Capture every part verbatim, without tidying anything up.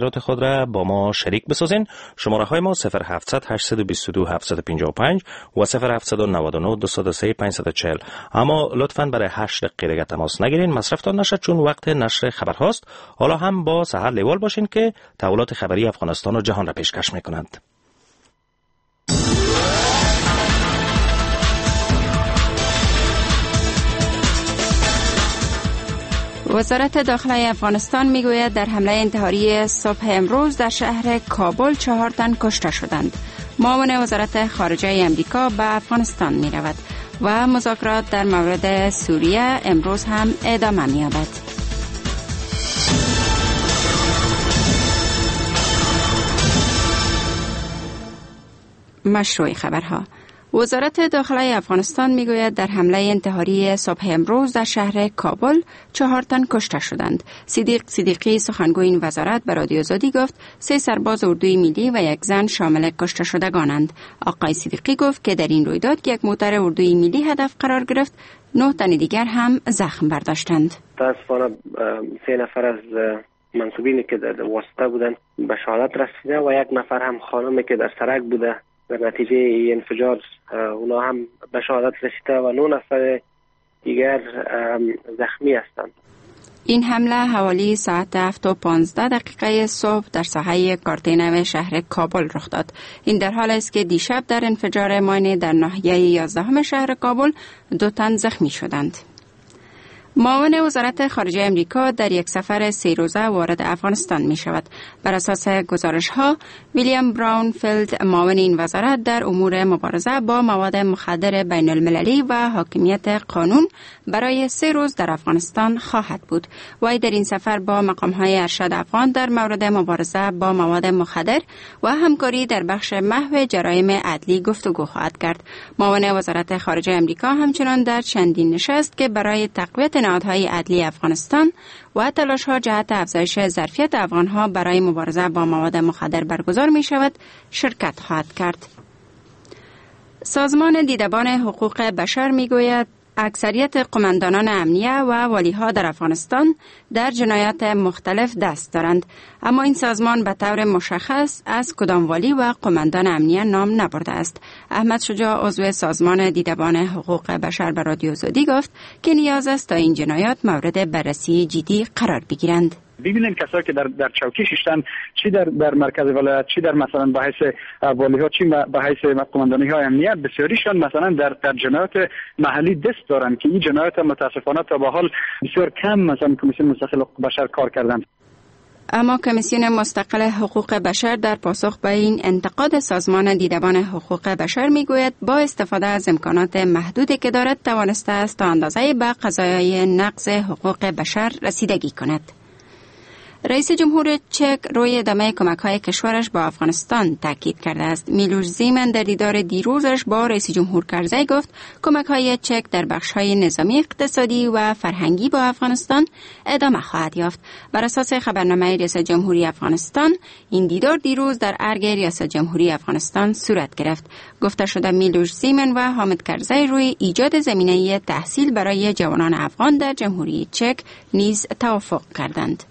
نظرات خود را با ما شریک بسازین. شماره های ما صفر هفتصد هشتصد و بیست و دو هفتصد و پنجاه و پنج و صفر هفتصد و نود و نه دویست و سه پانصد و چهل. اما لطفاً برای هشت دقیقه دیگه تماس نگیرین، مصرفتان نشد چون وقت نشر خبرهاست. حالا هم با سحر لیوال باشین که تحولات خبری افغانستان و جهان را پیشکش میکنند. وزارت داخله افغانستان میگوید در حمله انتحاری صبح امروز در شهر کابل چهار تن کشته شدند. معاون وزارت خارجه امریکا به افغانستان می رود و مذاکرات در مورد سوریه امروز هم ادامه می یابد. مشروع خبرها. وزارت داخله افغانستان میگوید در حمله انتحاری صبح امروز در شهر کابل چهار تن کشته شدند. صدیق صدیقی سخنگوی این وزارت به رادیو آزادی گفت سه سرباز اردوی ملی و یک زن شامل کشته شدگانند. آقای صدیقی گفت که در این رویداد که یک موتر اردوی ملی هدف قرار گرفت، نه تن دیگر هم زخم برداشتند. متاسفانه سه نفر از منسوبینی که در واسطه بودند به شهادت رسیده و یک نفر هم خانمی که در سرک بوده در نتیجه انفجار اونا هم به شهادت رسیده و نه نفر دیگر زخمی هستند. این حمله حوالی ساعت هفت و پانزده دقیقه صبح در ساحه کارتینو شهر کابل رخ داد. این در حال است که دیشب در انفجار ماین در ناحیه یازدهم شهر کابل دو تن زخمی شدند. معاون وزارت خارجه امریکا در یک سفر سه روزه وارد افغانستان می شود. بر اساس گزارش ها، ویلیام براونفیلد معاون این وزارت در امور مبارزه با مواد مخدر بین المللی و حاکمیت قانون برای سه روز در افغانستان خواهد بود. وی در این سفر با مقام های ارشد افغان در مورد مبارزه با مواد مخدر و همکاری در بخش محو جرایم عدلی گفتگو خواهد کرد. معاون وزارت خارجه امریکا همچنان در چندین نشست که برای تقویت نهادهای عدلی افغانستان و تلاش‌ها جهت افزایش ظرفیت افغانها برای مبارزه با مواد مخدر برگزار می شود، شرکت خواهد کرد. سازمان دیدبان حقوق بشر می گوید اکثریت قماندانان امنیه و والیها در افغانستان در جنایات مختلف دست دارند، اما این سازمان به طور مشخص از کدام والی و قماندان امنیه نام نبرده است. احمد شجاع عضو سازمان دیدبان حقوق بشر به رادیو آزادی گفت که نیاز است تا این جنایات مورد بررسی جدی قرار بگیرند. ببینیم کسایی که در در چوکی ششتن، چی در در مرکز ولایت، چی در مثلا به حیث والی ها، چی به حیث قماندانی های امنیت، بسیاریشان مثلا در در جنایات محلی دست دارن که این جنایات متاسفانه تا به حال بسیار کم مثلا کمیسیون مستقل حقوق بشر کار کردن. اما کمیسیون مستقل حقوق بشر در پاسخ به این انتقاد سازمان دیدبان حقوق بشر میگوید با استفاده از امکانات محدودی که دارد توانسته است تا اندازه‌ای به قضایای نقض حقوق بشر رسیدگی کند. رئیس جمهور چک روی ادامه کمک‌های کشورش با افغانستان تاکید کرده است. میلوش زیمن در دیدار دیروزش با رئیس جمهور کرزی گفت کمک‌های چک در بخش‌های نظامی، اقتصادی و فرهنگی با افغانستان ادامه خواهد یافت. بر اساس خبرنامه ریاست جمهوری افغانستان، این دیدار دیروز در ارگ ریاست جمهوری افغانستان صورت گرفت. گفته شده میلوش زیمن و حامد کرزی روی ایجاد زمینه تحصیل برای جوانان افغان در جمهوری چک نیز توافق کردند.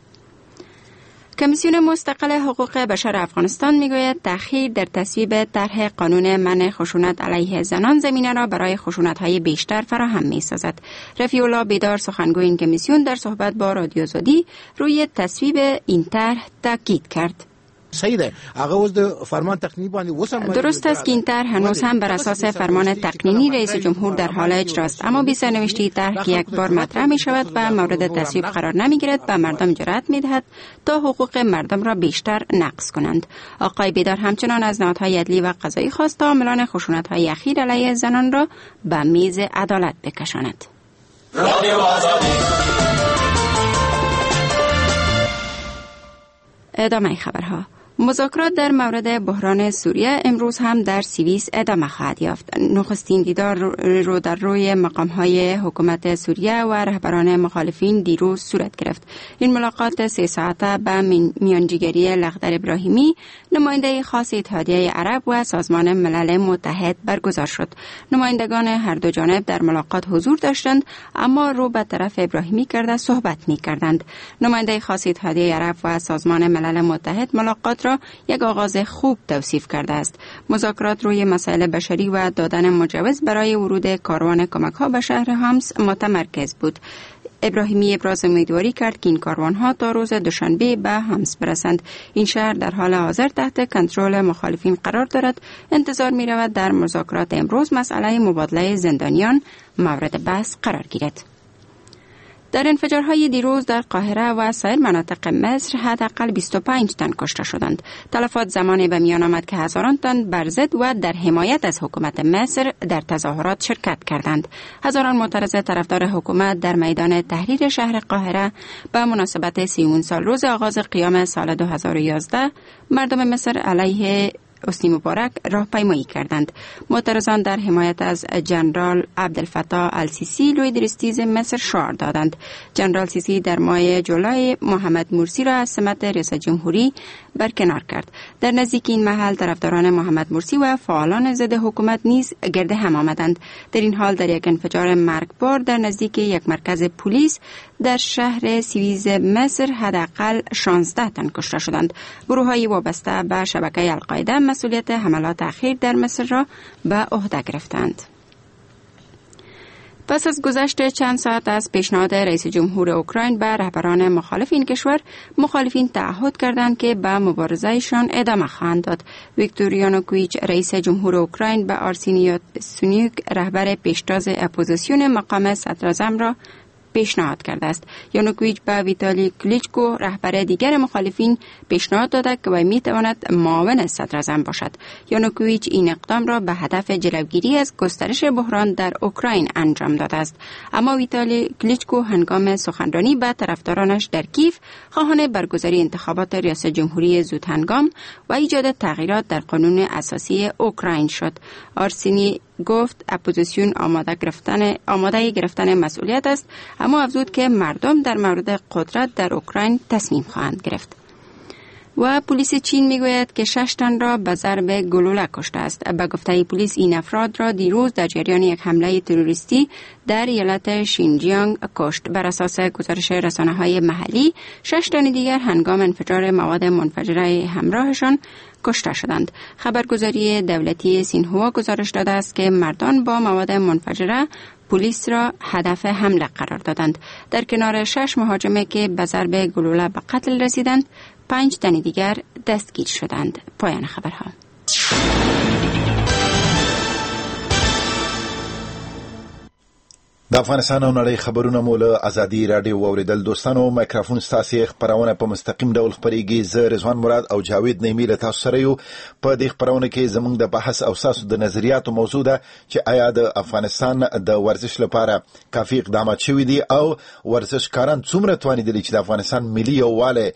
کمیسیون مستقل حقوق بشر افغانستان میگوید تأخیر در تصویب طرح قانون منع خشونت علیه زنان زمینه را برای خشونت‌های بیشتر فراهم می‌سازد. رفیع الله بیدار سخنگوی این کمیسیون در صحبت با رادیو آزادی روی تصویب این طرح تاکید کرد. درست است که این طرح هنوز هم بر اساس فرمان تقنینی رئیس جمهور در حال اجراست، اما بی سرنوشتی طرح که یک بار مطرح می شود و مورد تصویب قرار نمی گیرد به مردم جرأت می دهد تا حقوق مردم را بیشتر نقض کنند. آقای بیدار همچنان از نهادهای عدلی و قضایی خواست تا عاملان خشونت‌های اخیر علیه زنان را به میز عدالت بکشاند. ادامه خبرها. مذاکرات در مورد بحران سوریه امروز هم در سوئیس ادامه خواهد یافت. نخستین دیدار رو در روی مقام‌های حکومت سوریه و رهبران مخالفین دیروز صورت گرفت. این ملاقات سه ساعته به میانجیگری لخدر ابراهیمی، نماینده خاص اتحادیه عرب و سازمان ملل متحد برگزار شد. نمایندگان هر دو جانب در ملاقات حضور داشتند، اما رو به طرف ابراهیمی کرده صحبت می‌کردند. نماینده خاص اتحادیه عرب و سازمان ملل متحد ملاقات را یک آغاز خوب توصیف کرده است. مذاکرات روی مسائل بشری و دادن مجوز برای ورود کاروان کمک‌ها به شهر حمص متمرکز بود. ابراهیمی ابراز امیدواری کرد که این کاروان‌ها تا روز دوشنبه به حمص برسند. این شهر در حال حاضر تحت کنترل مخالفین قرار دارد. انتظار می‌رود در مذاکرات امروز مسئله مبادله زندانیان مورد بحث قرار گیرد. در انفجارهای دیروز در قاهره و سایر مناطق مصر حداقل بیست و پنج تن کشته شدند. تلفات زمانی به میان آمد که هزاران تن بر ضد و در حمایت از حکومت مصر در تظاهرات شرکت کردند. هزاران معترض طرفدار حکومت در میدان تحریر شهر قاهره به مناسبت سی‌ام سال روز آغاز قیام سال دو هزار و یازده مردم مصر علیه حسنی مبارک راهپیمایی کردند. معترضان در حمایت از جنرال عبدالفتاح السیسی لوی درستیز مصر شعار دادند. جنرال سیسی در ماه جولای محمد مرسی را از سمت رئیس جمهوری برکنار کرد. در نزدیک این محل طرفداران محمد مرسی و فعالان ضد حکومت نیز گرد هم آمدند. در این حال در یک انفجار مرگبار در نزدیک یک مرکز پلیس در شهر سوئیز مصر حداقل شانزده تن کشته شدند. گروه‌های وابسته به شبکه القاعده مسئولیت حملات اخیر در مصر را به عهده گرفتند. پس از گذشت چند ساعت از پیشنهاد رئیس جمهور اوکراین به رهبران مخالف این کشور، مخالفین تعهد کردند که به مبارزهشان ادامه خواهند داد. ویکتور یانوکوویچ رئیس جمهور اوکراین به آرسینی یاتسنیوک رهبر پیشتاز اپوزیسیون مقام صدراعظم را پیشنهاد کرده است. یانوکوویچ به ویتالی کلیچکو رهبر دیگر مخالفین پیشنهاد داده که وی میتواند معاون صدراعظم باشد. یانوکوویچ این اقدام را به هدف جلوگیری از گسترش بحران در اوکراین انجام داده است. اما ویتالی کلیچکو هنگام سخنرانی به طرفدارانش در کیف خواهان برگزاری انتخابات ریاست جمهوری زود هنگام و ایجاد تغییرات در قانون اساسی اوکراین شد. آرسینی گفت اپوزیسیون آماده گرفتن آماده گرفتن مسئولیت است، اما افزود که مردم در مورد قدرت در اوکراین تصمیم خواهند گرفت. و پلیس چین میگوید که شش تن را به ضرب گلوله کشته است. به گفته پلیس این افراد را دیروز در جریان یک حمله تروریستی در ایالت شینجیانگ کشت. بر اساس گزارش رسانه‌های محلی، شش تن دیگر هنگام انفجار مواد منفجره همراهشان کشته شدند. خبرگزاری دولتی سینهوا گزارش داده است که مردان با مواد منفجره پلیس را هدف حمله قرار دادند. در کنار شش مهاجمه که به ضرب گلوله به قتل رسیدند، پنج تن دیگر دستگیر شدند. پایان خبرها. د افغانستان او نړۍ خبرونه مو له ازادي راډیو واورېدل. دوستانو، مایکروفون ستاسې خپرونه په مستقیم ډول خپرېږي. زه رضوان مراد او جاوید نعیمي له تاسو سره یو. په دې خپرونه کې زموږ د بحث او ستاسو د نظریاتو موضوع ده چې آیا د افغانستان د ورزش لپاره کافي اقدامات شوي دي او ورزشکاران څومره توانېدلي چې د افغانستان ملي یووالی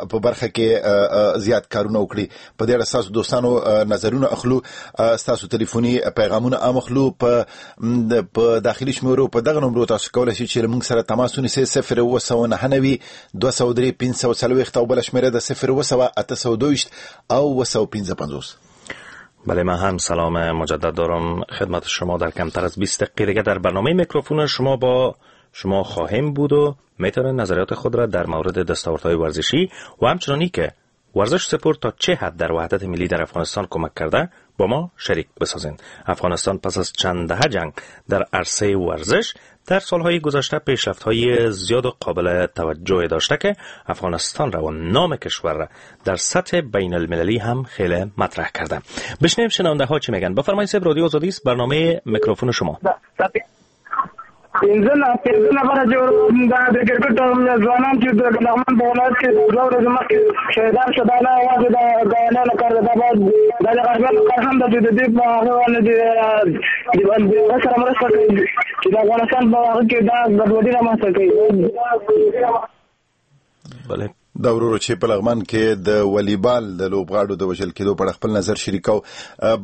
په برخه کې زیات کارونه وکړي. په دې اړه ستاسو دوستانو نظرونه اخلو، ستاسو تلیفوني پیغامونه هم اخلو. په په داخلي شمېرو په دغه نمرو تاسو کولای شئ چې له موږ سره تماس ونیسئ: صفر اووه سوه نهه نوي دوه سوه درې پنځه سوه څلوېښت او بله شمېره ده صفر اووه سوه اته سوه دوه ویشت او اووه سوه پنځه پنځوس. بله، من هم سلام مجدد دارم خدمت شما. در کمتر از بیست دقیقه دیگه در برنامه میکروفون شما با شما خواهیم بود و میتونید نظریات خود را در مورد دستاوردهای ورزشی و همچنانی که ورزش سپورت تا چه حد در وحدت ملی در افغانستان کمک کرده با ما شریک بسازین. افغانستان پس از چند دهه جنگ در عرصه ورزش در سالهای گذشته پیشرفت‌های زیاد و قابل توجه داشته که افغانستان را و نام کشور را در سطح بین المللی هم خیلی مطرح کرده. بشنویم شنونده ها چی میگن. بفرمایید. صاحب رادیو آزادی است، برنامه میکروفون شما. پنځه پنځه نفره چې د کرکټ ځوانان چې د لغمان په ولایت کې دوه ورځې مخکې شهیدان شو، دا نه یوازې د ګاونډیانو کار دی، دا باید دا د غربیانو کار هم ده چې د دې په هغه باندې د هغه سره مرسته کوي چې د افغانستان په هغه کې دا ګډوډي رامنځته کوي. بله دا ورور چې په لغمان کې د والیبال د لوبغاړو د وژل کېدو په اړه خپل نظر شریکاو.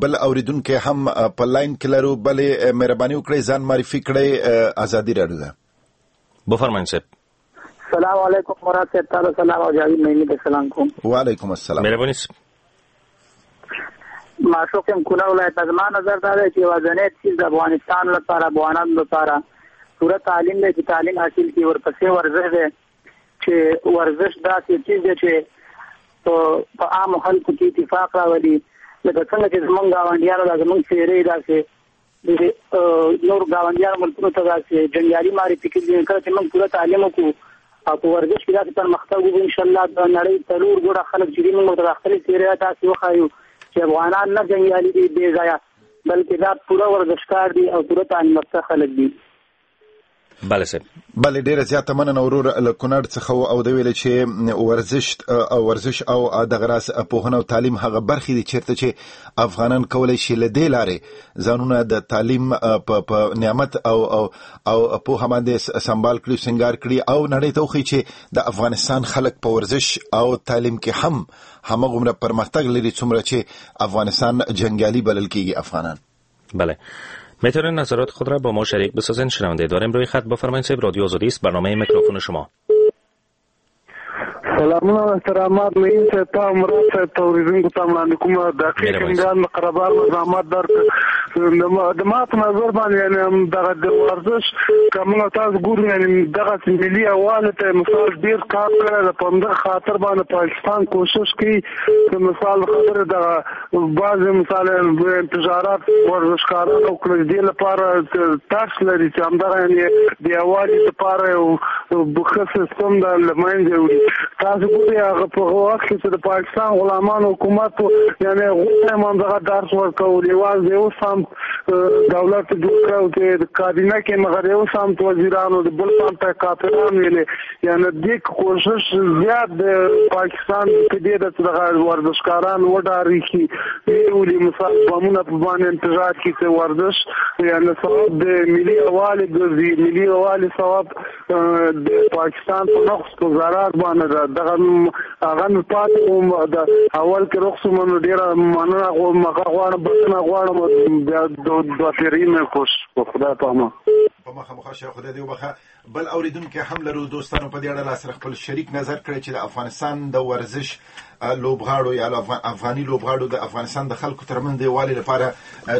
بل اوریدونکو هم په لاین کې لرو. بلې مهرباني وکړئ ځان معرفي کړئ. ازادي راډیو ده. بفرمایئ صاحب. سلام علیکم مراد صاحب، تعالی سلام او جاوید نعیمي ته سلام کوم. وعلیکم السلام. مهرباني. معشوق یم کونړ ولایت. زما نظر دا دی چې یوازنی څیز د افغانستان لپاره، افغانانو لپاره پوره تعلیم دی چې تعلیم حاصل کړي، ورپسې ورزش دی چې ورزش داسې چیز دی چې په عامو خلکو کې اتفاق راولي. لکه څنګه چې زمونږ ګاونډیانو دا زمونږ څېرې داسې نور ګاونډیانو ملکونو ته داسې جنګیالي معرفي کړي. کله چې موږ پوره تعلیم وکړو او په ورزش کې داسې پرمختګ وکړو، انشاءالله د نړۍ څلور ګوټه خلک چې دي موږ ورته خپلې څېرې داسې وښایو چې افغانان نه جنګیالي دي بې ځایه، بلکې دا پوره ورزشکار دي او پوره تعلیم یافته خلک دي. بله صاحب. بله ډیره زیاته مننه ورور له کونړ څخه. او د ویل چې ورزش او ورزش او دغه راز پوهنه او تعلیم هغه برخې دي چیرته چې افغانان کولی شي له دې لارې ځانونه د تعلیم په نعمت او او او پوهه باندې سمبال کړي، سنګار کړي او نړۍ ته وښیي چې د افغانستان خلک په ورزش او تعلیم کې هم همغومره پرمختګ لري څومره چې افغانستان جنګیالي بلل کیږي افغانان. بله، میتونین نظرات خود را با ما شریک بسازین. شنونده داریم روی خط. بفرمایید صاحب. رادیو آزادی است، برنامه میکروفون شما. سلامونه او احترامات نعیم صاحب ته، مراد صاحب ته، اورېدونکو ته وړاندې کوم. دقیق امداد قربان زحمت درک. د ما په نظر باندې یعنې دغه د ورزش که موږ تاسو ګورو یعنې دغه ملي یووالي ته مثال ډېر کار کړی دی. په همدغه خاطر باندې پاکستان کوشش کوي چې مثال خبره دغه بعضې مثال انتظارات ورزشکاران وکړي، دې لپاره ترس لري چې همدغه یعنې د یووالي لپاره یو ښه سیستم د له منځه وړي. تاسو ګورئ هغه په وخت کې چې د پاکستان غلامانو حکومت یعنې هغوی هم همدغه درس ورکول، یوازې یو سمت دولت جوړ کړی چې د کابینه کې مګر یو سمت وزیرانو د بل سمت ته کافران ویلې. یعنې دې کوشش زیات د پاکستان په دې ده چې دغه ورزشکاران وډارېږي، ویولي مثال بمونه په باندې انتظار کړي چې ورزش یعنې سبب د ملي یووالي ګرځي. ملي یووالي سبب د پاکستان په نقص په ضرر باندې ده. دغه هغه مې پاتې وم د اول کې رخص منو ډېره مننه غواړم، بښنه غواړم. بیا دوه پیرۍ مې کوشش وکړ. خدای په امان. په مخه مخه شه، خدای دې وبخښه. بل اوریدونکی هم لرو دوستانو په دې اړه لا سره خپل شریک نظر کړی چې د افغانستان د ورزش لوبغاړو یا افغاني لوبغاړو د افغانستان د خلکو ترمنځ د یووالي لپاره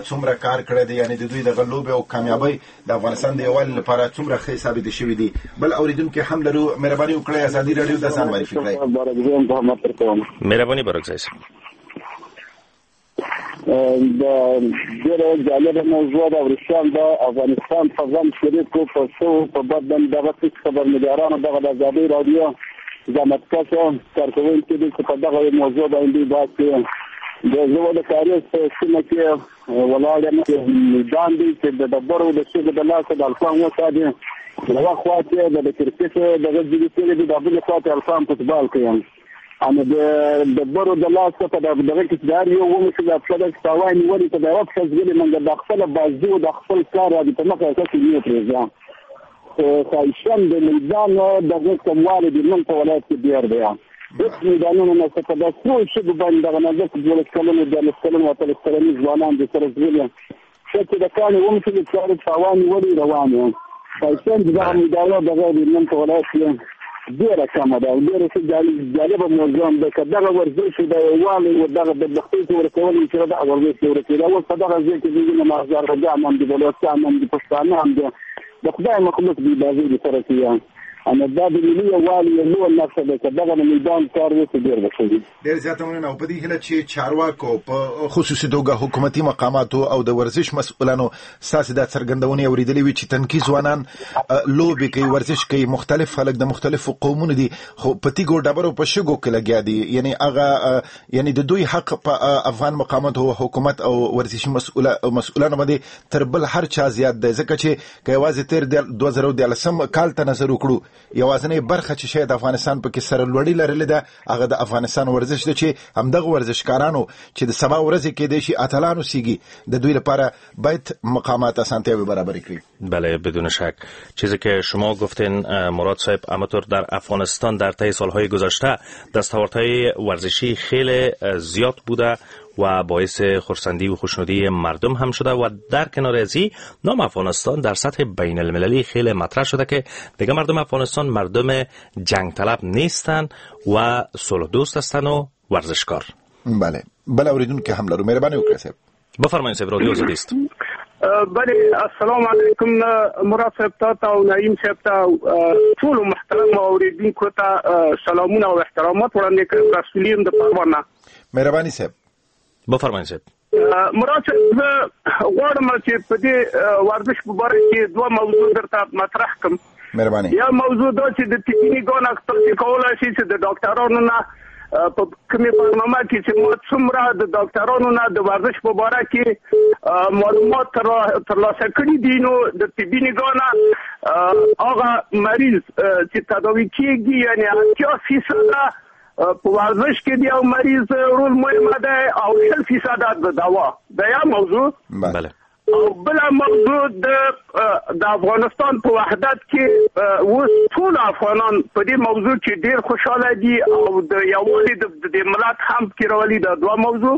څومره کار کړی دی، یعنې د دوی دغه لوبې او کامیابۍ د افغانستان د یووالي لپاره څومره ښې ثابتې شوې دي. بل اوریدونکی هم لرو، مهرباني وکړئ ازادي راډیو ته ځان معرفي کړئ. مهرباني برکزی صاحب. د ډېره جالبه موضوع ده. ورښتیا د افغانستان په غم شریک و، په ښه په بد باندې دغه هېڅ خبرنګارانو دغه د ازادۍ راډیو زحمتکشه کارکوونکي دي چې په دغه موضوع باندې بحث کوي. د زه د کاریز په سیمه کې ولاړ یم، میدان دی چې د ډبرو د شګو د لاسه د الفان وساتي. یوه خوا کې د کرکټ دغه ځینې کړي دي، د بلې خوا ته الفان فوټبال کوي. اما د ډبرو د لاسه په دغه کې چې د هر یو ومشي دا پښه داسې تاوان نیولې ته د یوه پښه ځغلي، مګر د خپله بازو د خپل کار را دي په مخه کسې نه پرېږده. خو خواهشم د میدان دغه کموالی د نن په ولایت کې ډېر دی. هېڅ میدانونه نشته. په دا څو شېبو باندې دغه نازک دولس کلنو دیارلس کلنو اتلس کلنو ځوانان د سره ځغلي، ښه چې د کاڼي ومشي چارې تاوان نیولې روان یې. خواهشم د دغه میدانو دغه د نن په ولایت کې ډېره کمه ده او ډېره ښه جالبه موضوع هم ده. که دغه ورزش د یووالي او دغه بدبختۍ کې ورکول چې دغه ورزش کې ورکېده، اوس په دغه ځای کې ځینې هزارګان هم دي، بلوڅان هم دي، پښتانه هم دي، د خدای مخلوق دي بازۍ دي سره کوي. اما دا د ملي یووالي یو لویه نښه ده. که دغه د میدان کار وشي ډېر به ښه وي. ډېر زیاته مننه. او په دې هیله چې چارواکو په خصوصي توګه حکومتي مقاماتو او د ورزش مسؤلانو ستاسې دا څرګندونې اورېدلې وي چې تنکي ځوانان لوبې کوي، ورزش کوي، مختلف خلک د مختلفو قومونو دي، خو په تیږو ډبرو په شګو کې لګیا دي. یعنې هغه یعنې د دوی حق په افغان مقاماتو حکومت او ورزشي مسؤلانو باندې تر بل هر چا زیات دی، ځکه چې که یوازې تېر دوه زره دیارلسم کال ته نظر وکړو یوازنۍ برخه چې شاید افغانستان پکې سره لوړی لرلې ده هغه د افغانستان ورزش ده چې همدغه ورزشکارانو چې د سبا ورځې کېدای شي اتلان اوسېږي د دوی لپاره باید مقامات اسانتیاوې برابرې کړي. بله بدون شک. چیزی که شما گفتین مراد صاحب، همانطور در افغانستان در طی سالهای گذشته دستاوردهای ورزشی خیلی زیاد بوده و باعث خرسندی و خوشنودی مردم هم شده و در کنار ازی نام افغانستان در سطح بین المللی خیلی مطرح شده که دیگه مردم افغانستان مردم جنگ طلب نیستن و صلح دوست هستن و ورزشکار. بله بله اوریدونکي هم لرو، مهرباني وکړئ صاحب. بفرمایئ صاحب، رادیو آزادی است. بله السلام علیکم مراد صاحب ته او نعیم صاحب ته ټولو محترم اوریدونکو ته سلامونه او احترامات وړاندې کوم. رسولي یم د پروان. مهرباني صاحب. بفرمایئ صاحب. مراد صاحب، زه غواړم چې په دې ورزش په باره کې دوه موضوع درته مطرح کړم. مهرباني. یو موضوع دا چې د طبي ګان تاسو کولای شئ چې د ډاکټرانو نه په کومې برنامه کې چې ما څومره د ډاکټرانو نه د ورزش په باره کې معلومات ترلاسه کړي دي، نو د طبي نګاه نه هغه مریض چې تداوي کېږي یعنې اتیا فیصده په ورزش کې د یو مریض رول مهمه دی او شل فیصده د دوا. دا یو موضوع. بله. او بله موضوع د د افغانستان په وحدت کې اوس ټول افغانان په دې موضوع کې ډیر خوشحاله دي او د یووالي د ملت هم پکې راولي. دا دوه موضوع.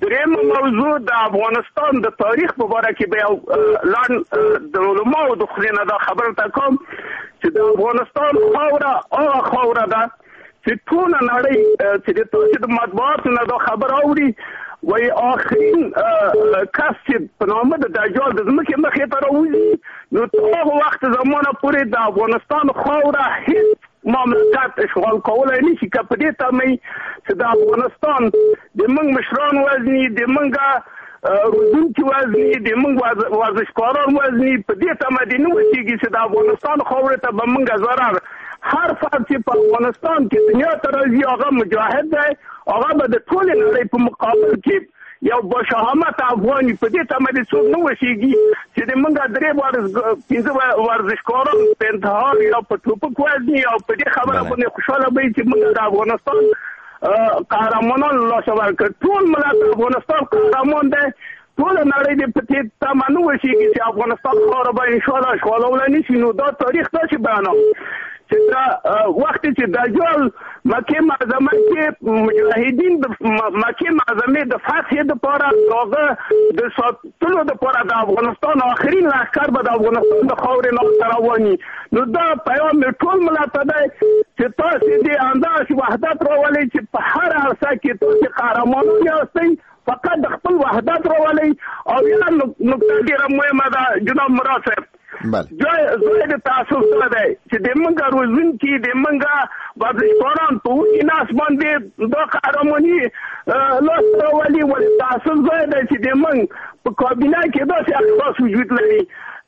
دریم موضوع د افغانستان د تاریخ په باره کې به یو لنډ د علماو د خولې نه دا خبره ته کوم چې د افغانستان خاوره هغه خاوره ده چې ټوله نړۍ چې د تاسې د مطبوعاتو نه دا خبره اوري وایي آخرین کس چې په نامه د دجال د ځمکې مخې ته راوځي نو تر هغه وخت زمانه پورې د افغانستان خاوره هیڅ مملکت اشغال کولای نشي. که په دې تمه چې د افغانستان د موږ مشران وزني، د موږ روزونکي وزني، د موږ ورزشکاران وزني، په دې تمه دې نه وسیږي چې د افغانستان خاورې ته به موږ ضرر. هر فرد چې په افغانستان کې دنیا ته راځي هغه مجاهد دی، هغه به د ټولې نړۍ په مقابل کې یو باشهامت افغان وي. په دې تمه دې څوک نه وسیږي چې د موږ درې پنځه ورزشکاران په انتحار یا په ټوپک وزني او په دې خبره باندې خوشحاله به وي چې موږ د افغانستان قهرمانان له لاسه ورکړ. ټول ملت افغانستان قهرمان دی، ټوله نړۍ دې په دې تمه نه وسیږي چې افغانستان خاوره به انشاءالله اشغالولی نه شي. نو دا تاریخ داسې بیانوم چې دا وخت چې دجال مکې معظمه کې مجاهدین د مکې معظمې د فتح دپاره هغه د ساتلو دپاره د افغانستان آخرین لښکر به د افغانستان د خاورې نه روان وي. نو دا پیام مې ټول ملت ته دی چې تاسې دې همداسې وحدت راولئ چې په هر عرصه کې تاسې قهرمانان یاستئ، فقط د خپل وحدت راولئ. او یوه نکته ډېره مهمه ده جناب مراد صاحب، ځای ځای د تاسف دا دی چې د موږ روزونکي د موږ ورزشکاران په وږي نس باندې دا قهرماني لاس ته راولي، ولې تاسف ځای دی چې د موږ په کابینه کې داسې اشخاص وجود لري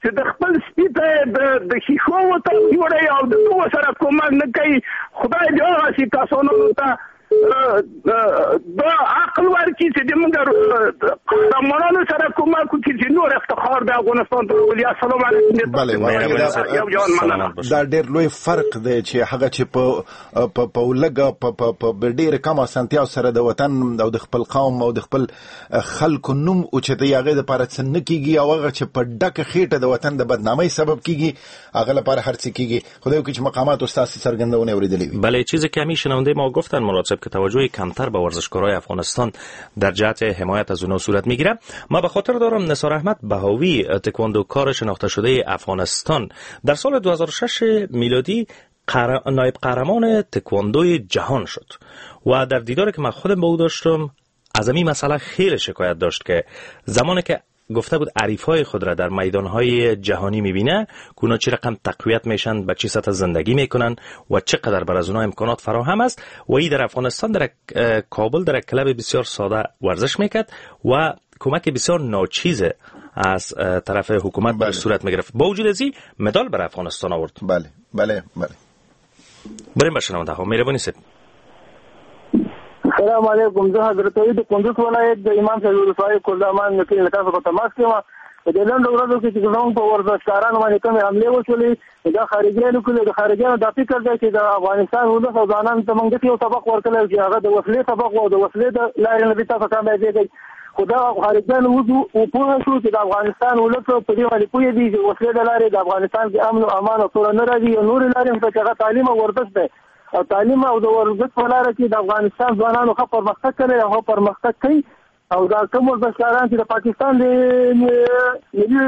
چې د خپل سپي ته د ښیښو ورته جوړوي او د دوو سره کومک نه کوي. خدای دې هغسې کسانو ته دا عقل ورکړي چې د موږ قهرمانانو سره کومک وکړي چې نور افتخار د افغانستان ته راولي. السلام علیکم. بله یو جهان مننه. دا ډېر لوی فرق دی چې هغه چې په په لږه په په ډېر کم اسانتیا سره د وطن او د خپل قوم او د خپل خلکو نوم اوچتوي هغې دپاره څه نه کېږي، او هغه چې په ډکه خېټه د وطن د بدنامۍ سبب کېږي هغه لپاره هر څه کېږي. خدای وکړي چې مقاماتو ستاسې څرګندونې اورېدلې وي. بله چیزی که همیشه شنونده ما گفتن مراد صاحب که توجه کمتر به ورزشکارای افغانستان در جهت حمایت از اونها صورت میگیره. ما به خاطر دارم نثار احمد بهاوی تکواندوکار شناخته شده افغانستان در سال دو هزار و شش میلادی قهر... نایب قهرمان تکواندوی جهان شد و در دیداری که من خودم با او داشتم از این مسئله خیلی شکایت داشت که زمانی که گفته بود حریف‌های خود را در میدان‌های جهانی می‌بینه که اونا چه رقم تقویت میشن، به چه سطح زندگی میکنن و چقدر بر از اونها امکانات فراهم است و ای در افغانستان در کابل در کلب بسیار ساده ورزش میکرد و کمک بسیار ناچیز از طرف حکومت بله. صورت میگرفت. با وجود از این مدال بر افغانستان آورد. بله بله بله. بریم به شنونده ها. مهربانی سید. السلام علیکم. زه حضرت علي د کندوز ولایت د امام صاحب ولسوالۍ کوزامان مکې له تاسو په تماس کې یم. په دې لنډو ورځو کې چې زموږ په ورزشکارانو باندې کومې حملې وشولې دا خارجیانو کړې، د خارجیانو دا فکر دی چې د افغانستان ولس او ځوانانو ته موږ داسې یو سبق ورکړی چې هغه د وسلې سبق و او د وسلې د لارې نه به تاسو کامیابېږئ. خو دا خارجیان اوس پوه شو چې د افغانستان ولس په دې باندې پوه دي چې وسلې د لارې د افغانستان کې امن او امان او سوله نه راځي، او نورې لارې هم چې هغه تعلیم او ورزش دی، او تعلیم او د ورزش په لاره کې د افغانستان ځوانانو ښه پرمختګ کړی او ښه پرمختګ کوي. او دا کوم ورزشکاران چې د پاکستان د ملي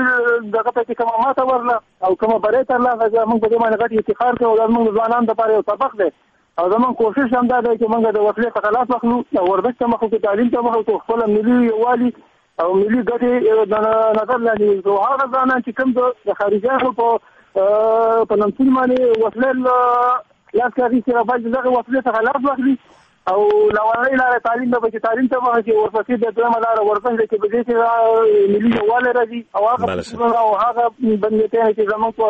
دغه ته چې کومه ماته ورله او کومه بری ترلاسه کړه، موږ په دې باندې غټ افتخار کوو. دا زموږ د ځوانانو دپاره یو سبق دی، او زموږ کوشش هم دا دی چې موږ د وسلې څخه لاس واخلو او ورزش ته مخ وکړو، تعلیم ته مخ وکړو، خپله ملي یووالي او ملي ګټې د نظر لاندې ونیسو. هغه ځوانان چې کوم د خارجیانو په په نمسون باندې وسلې لاس کې اخیستې، باید دغه وسلې څخه لاس واخلي او لومړۍ لاره تعلیم ده، چې تعلیم ته مخه شي، ورپسې د دویمه لاره ورزش ده چې په دې کې ملي یووالی راځي، او هغه او هغه بندیتونه چې زموږ په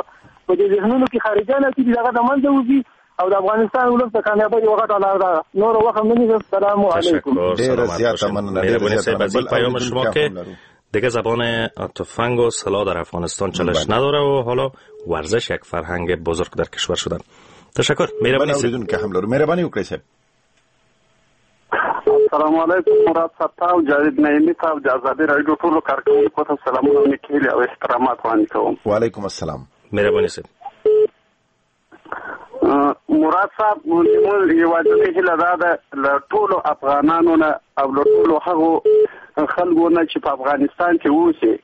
په دې ذهنونو کې خارجیان اچي هغه د منځه وځي او د افغانستان ولس د کامیابۍ یوه غټه لار ده. نور وخت هم نه نیسم. سلام علیکم. ډېره زیاته مننه. مهرباني صاحب از این پیام شما که دیگه زبان تفنگ و سلاح در افغانستان چالش نداره و حالا ورزش یک فرهنگ بزرگ در کشور شده. تشکر. مهرباني اوریدونکو هم لرو. مهرباني وکړئ صاحب. السلام علیکم مراد صاحب او جاوید نعیمي صاحب، د ازادي راډیو ټولو کارکوونکو ته سلامونه، نیکې هیلې او احترامات وړاندې کوم. وعلیکم السلام. مهرباني صاحب. مراد صاحب، زموږ یوازینۍ هیله دا ده له ټولو افغانانو نه او له ټولو هغو خلکو نه چې په افغانستان کې اوسي،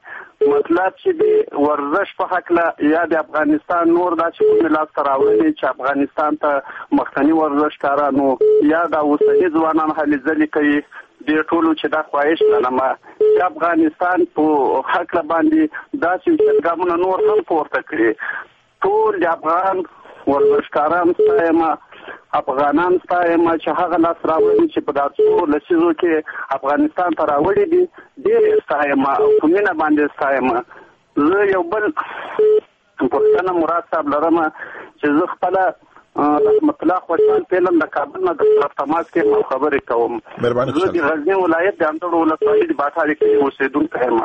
مطلب چې د ورزش په هکله یا د افغانستان نور داسې کومې لاسته راوړنې چې افغانستان ته مخکني ورزشکارانو یا د اوسني ځوانان هلې ځلې کوي، دې ټولو چې دا خواهش لرم چې افغانستان په هکله باندې داسې اوچت ګامونه نور هم پورته کړي. ټول د افغان ورزشکاران ستایم، افغانان ستایم چې هغه لاسته راوړنې چې په دا څو لسیزو کې افغانستان ته راوړي دي، ډېر یې ستایم او په مینه باندې ستایم. زه یو بل پوښتنه مراد صاحب لرم چې زه خپله رحمت الله خوشحال فعلاً د کابل نه در تماس کې یم او خبرې کوم. زه د غزني ولایت د اندړو ولسوالۍ د باټارې کلي اوسېدونکی یم.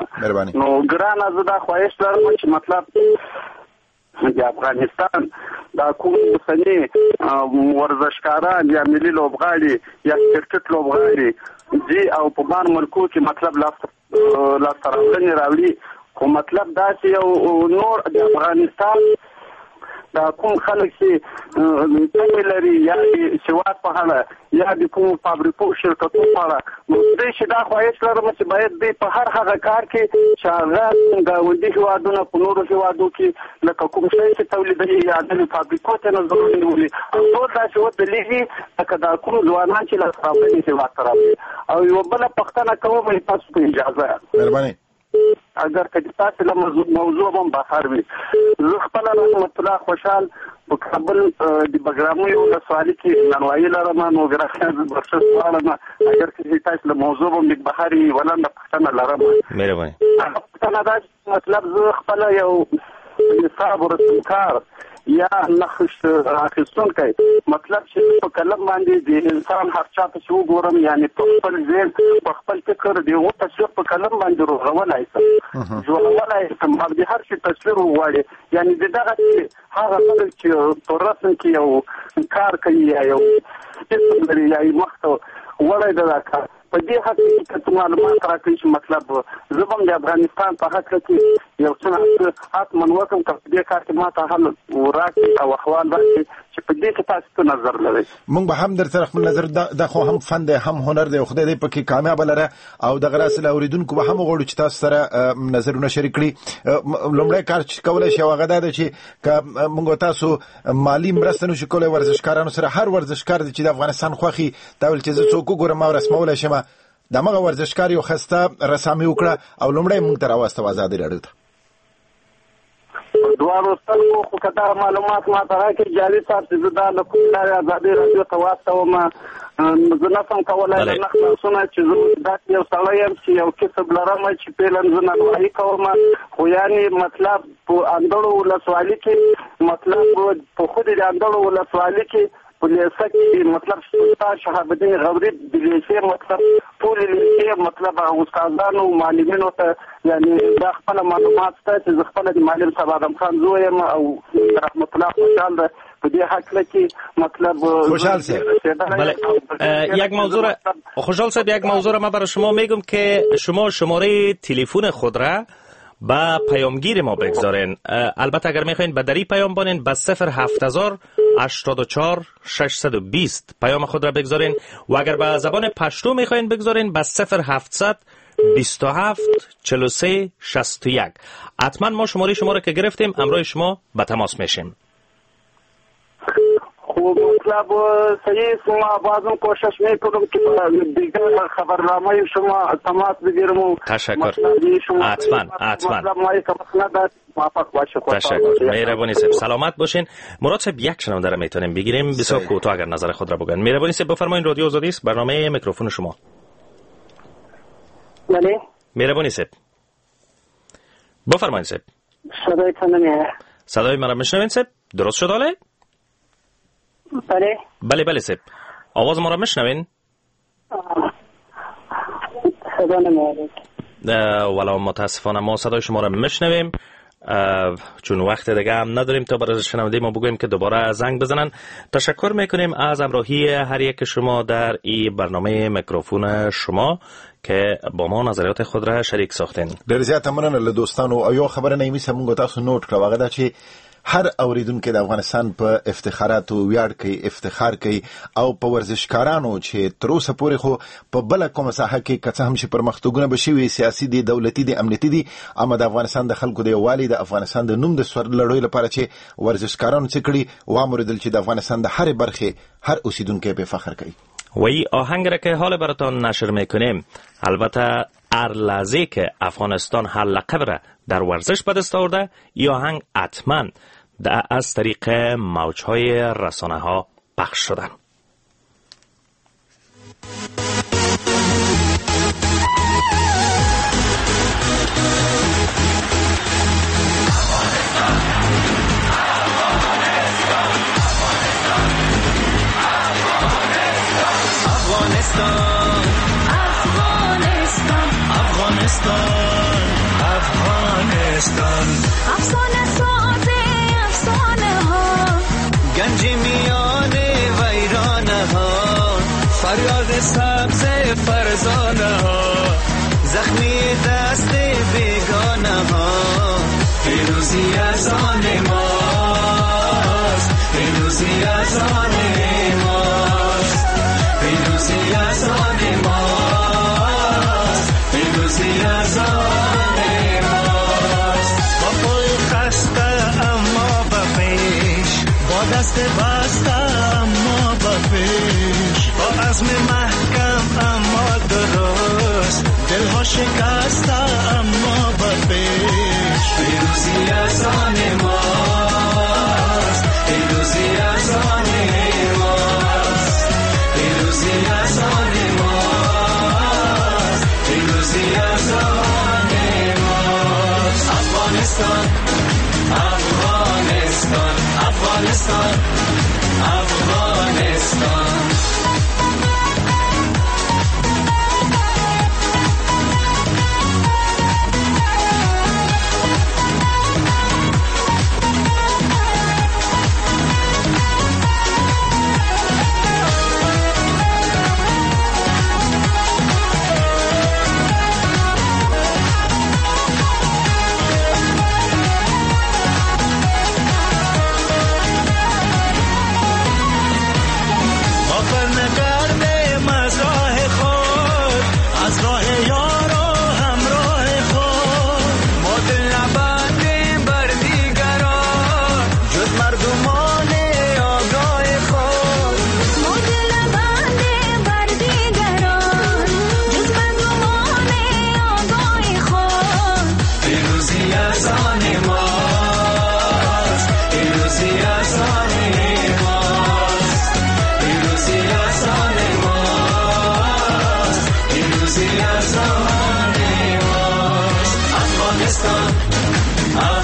نو ګرانه زه دا خواهش لرم چې مطلب د افغانستان دا کوم اوسني ورزشکاران یا ملي لوبغاړي یا کرکټ لوبغاړي دي او په بار ملکو کې مطلب لاسته راوړنې راوړي، خو مطلب داسې یو نور د افغانستان دا کوم خلک چې تمې لري یا د سواد په اړه یا د کومو فابریکو شرکتونو په اړه، نو دوی چې دا خواهش لرم چې باید دوی په هر هغه کار کې چې هغه ګاونډي هېوادونه په نورو هېوادو کې لکه کوم شی چې تولیدوي یا نوې فابریکو ته نظرونه نیولي او ټول داسې ودرېږي لکه دا کوم ځوانان چې لاسته راوړنې هېواد ته راوړي. او یوه بله پوښتنه کوم تاسو په اجازه. مهرباني. اگر که تاسو له موضوع هم بهر وي، زه خپله رحمت الله خوشحال په کابل د بګرامیو ولسوالي کې نانوایي لرم، نو ګرانه زه بخښنه غواړم اگر که تاسو له موضوع هم لږ بهر یې، یوه لنډه پوښتنه لرم. مهرباني. پوښتنه دا چې مطلب زه خپله یو نصاب رسمکار یا نقش اخیستونکی، مطلب چې په قلم باندې د انسان هر چا ته چې وګورم، یعنې په خپل ذهن په خپل فکر د هغو تصویر په قلم باندې روغولای شم، جوړولای شم او د هر شي تصویر وغواړي، یعنې د دغسې هغه خلک چې په رسم کې یو کار کوي یا یو قسم لري یا یې مخته وړی دی دا کار، په دې هکله کې که څه معلومات راکړئ چې مطلب زه به هم د افغانستان په هکله کې یو څه نا څه حتما وکړم، که په دې کار کې ما ته حل راکړي او احوال راکړي چې په دې کې تاسو څه نظر لرئ. موږ به هم در سره خپل نظر دا خو هم فن دی هم هنر دی، خدای دې پکې کامیاب لره. او دغه راز له اورېدونکو به هم غواړو چې تاسو سره نظرونه شریک کړي. لومړی کار چې کولی شي هغه دا دی چې که موږ تاسو مالي مرسته نشو کولی ورزشکارانو سره، هر ورزشکار دی چې د افغانستان خوښي دا ویل چې زه څوک وګورم او رسمولی شم، دمغه ورزشکار یو خسته رسامي وکړه او لومړی موږ ته راواستوه ازادي راډیو ته. دواړو سترګو خو که دا معلومات ما ته راکړي جاوید صاحب چې زه دا له کومې لارې ازادي راډیو ته واستوم، زه نه شم کولی له نه خلاصونه چې زه داسې یو سړی یم چې یو کسب لرم چې فعلاً زه نانوایي کوم، خو یعنې مطلب په اندړو ولسوالي کې مطلب په خود د اندړو ولسوالي کې په لیسه کې مطلب سلطان شهاب الدین غوري د لیسې مطلب ټولې لیسې ډېر مطلب استادانو معلمینو ته یعنی دا خپل معلومات شته چې زه خپله د معلم صاحب آدم خان زوی یم او رحمت الله خوشحال ده په دې هکله کې مطلب خوشحال صاحب بله یک موضوع را خوشحال صاحب یک موضوع را من برای شما میگم که شما شماره تلفن خود را با پیامگیر ما بگذارین. البته اگر میخواین به دری پیام بانین به صفر هفت هزار هشتاد و چهار ششصد و بیست پیام خود را بگذارین و اگر به زبان پشتو میخواین بگذارین به صفر هفتصد بیست و هفت چهل و سه شصت و یک. حتما ما شماره شما را که گرفتیم همراه شما به تماس میشیم. خب مطلب صحیح ما بازم کوشش میکنم که دیگر خبرنامه شما تماس بگیرم. تشکر. حتما حتما تشکر. مهربانی صاحب سلامت باشین. مراد صاحب یک شنونده را میتونیم بگیریم بسیار کوتاه اگر نظر خود را بگن. مهربانی صاحب بفرمایین. رادیو آزادی است، برنامه میکروفون شما. بله مهربانی صاحب بفرمایین صاحب. صدایتان نمیاد. صدای مرا میشنوین صاحب؟ درست شد حاله؟ بله بله بله صاحب آواز ما را میشنوین؟ صدا نمیاد. ولی متاسفانه ما صدای شما را میشنویم، چون وقت دیگه هم نداریم تا برای شنونده ما بگوییم که دوباره زنگ بزنن. تشکر میکنیم از همراهی هر یک شما در این برنامه میکروفون شما که با ما نظریات خود را شریک ساختین. ډېر زیاته مننه له دوستانو. او یو خبره نعیمي صاحب موږ تاسو نوټ کړه، هغه دا چې هر اوریدونکی د افغانستان په افتخاراتو ویاړ کوي، افتخار کوي او په ورزشکارانو چې تر اوسه پورې خو په بله کومه ساحه کې که څه هم چې پرمختګونه به شوي، سیاسي دي، دولتي دي، امنیتي دي، اما د افغانستان د خلکو د یووالي، د افغانستان د نوم د سرلوړۍ لپاره چې ورزشکارانو څه کړي، واموریدل چې د افغانستان د هرې برخې هر اوسیدونکی په فخر کوي. و این آهنگ را که حال براتان نشر میکنیم، البته هر لحظه که افغانستان هر لقب را در ورزش به دست آورده، این آهنگ حتما از طریق موجهای رسانه ها پخش شدن. افغانستان افغانستان افغانستان افسانه ساز افسانه ها، گنج میان ویرانه ها، فریاد سبز فرزانه ها، زخمی دست بیگانه ها، پیروزی از آن ماست، پیروزی از آن ماست، پیروزی از آن ماست، پیروزی از آن ماست. با پای خسته اما به پیش، با دست بسته اما به پیش، با عزم محکم اما درست، دلها شکسته اما به پیش. پیروزی از آن ماست، پیروزی از آن ماست، پیروزی از آن ماست، پیروزی از آن ماست. افغانستان افغانستان افغانستان افغانستان.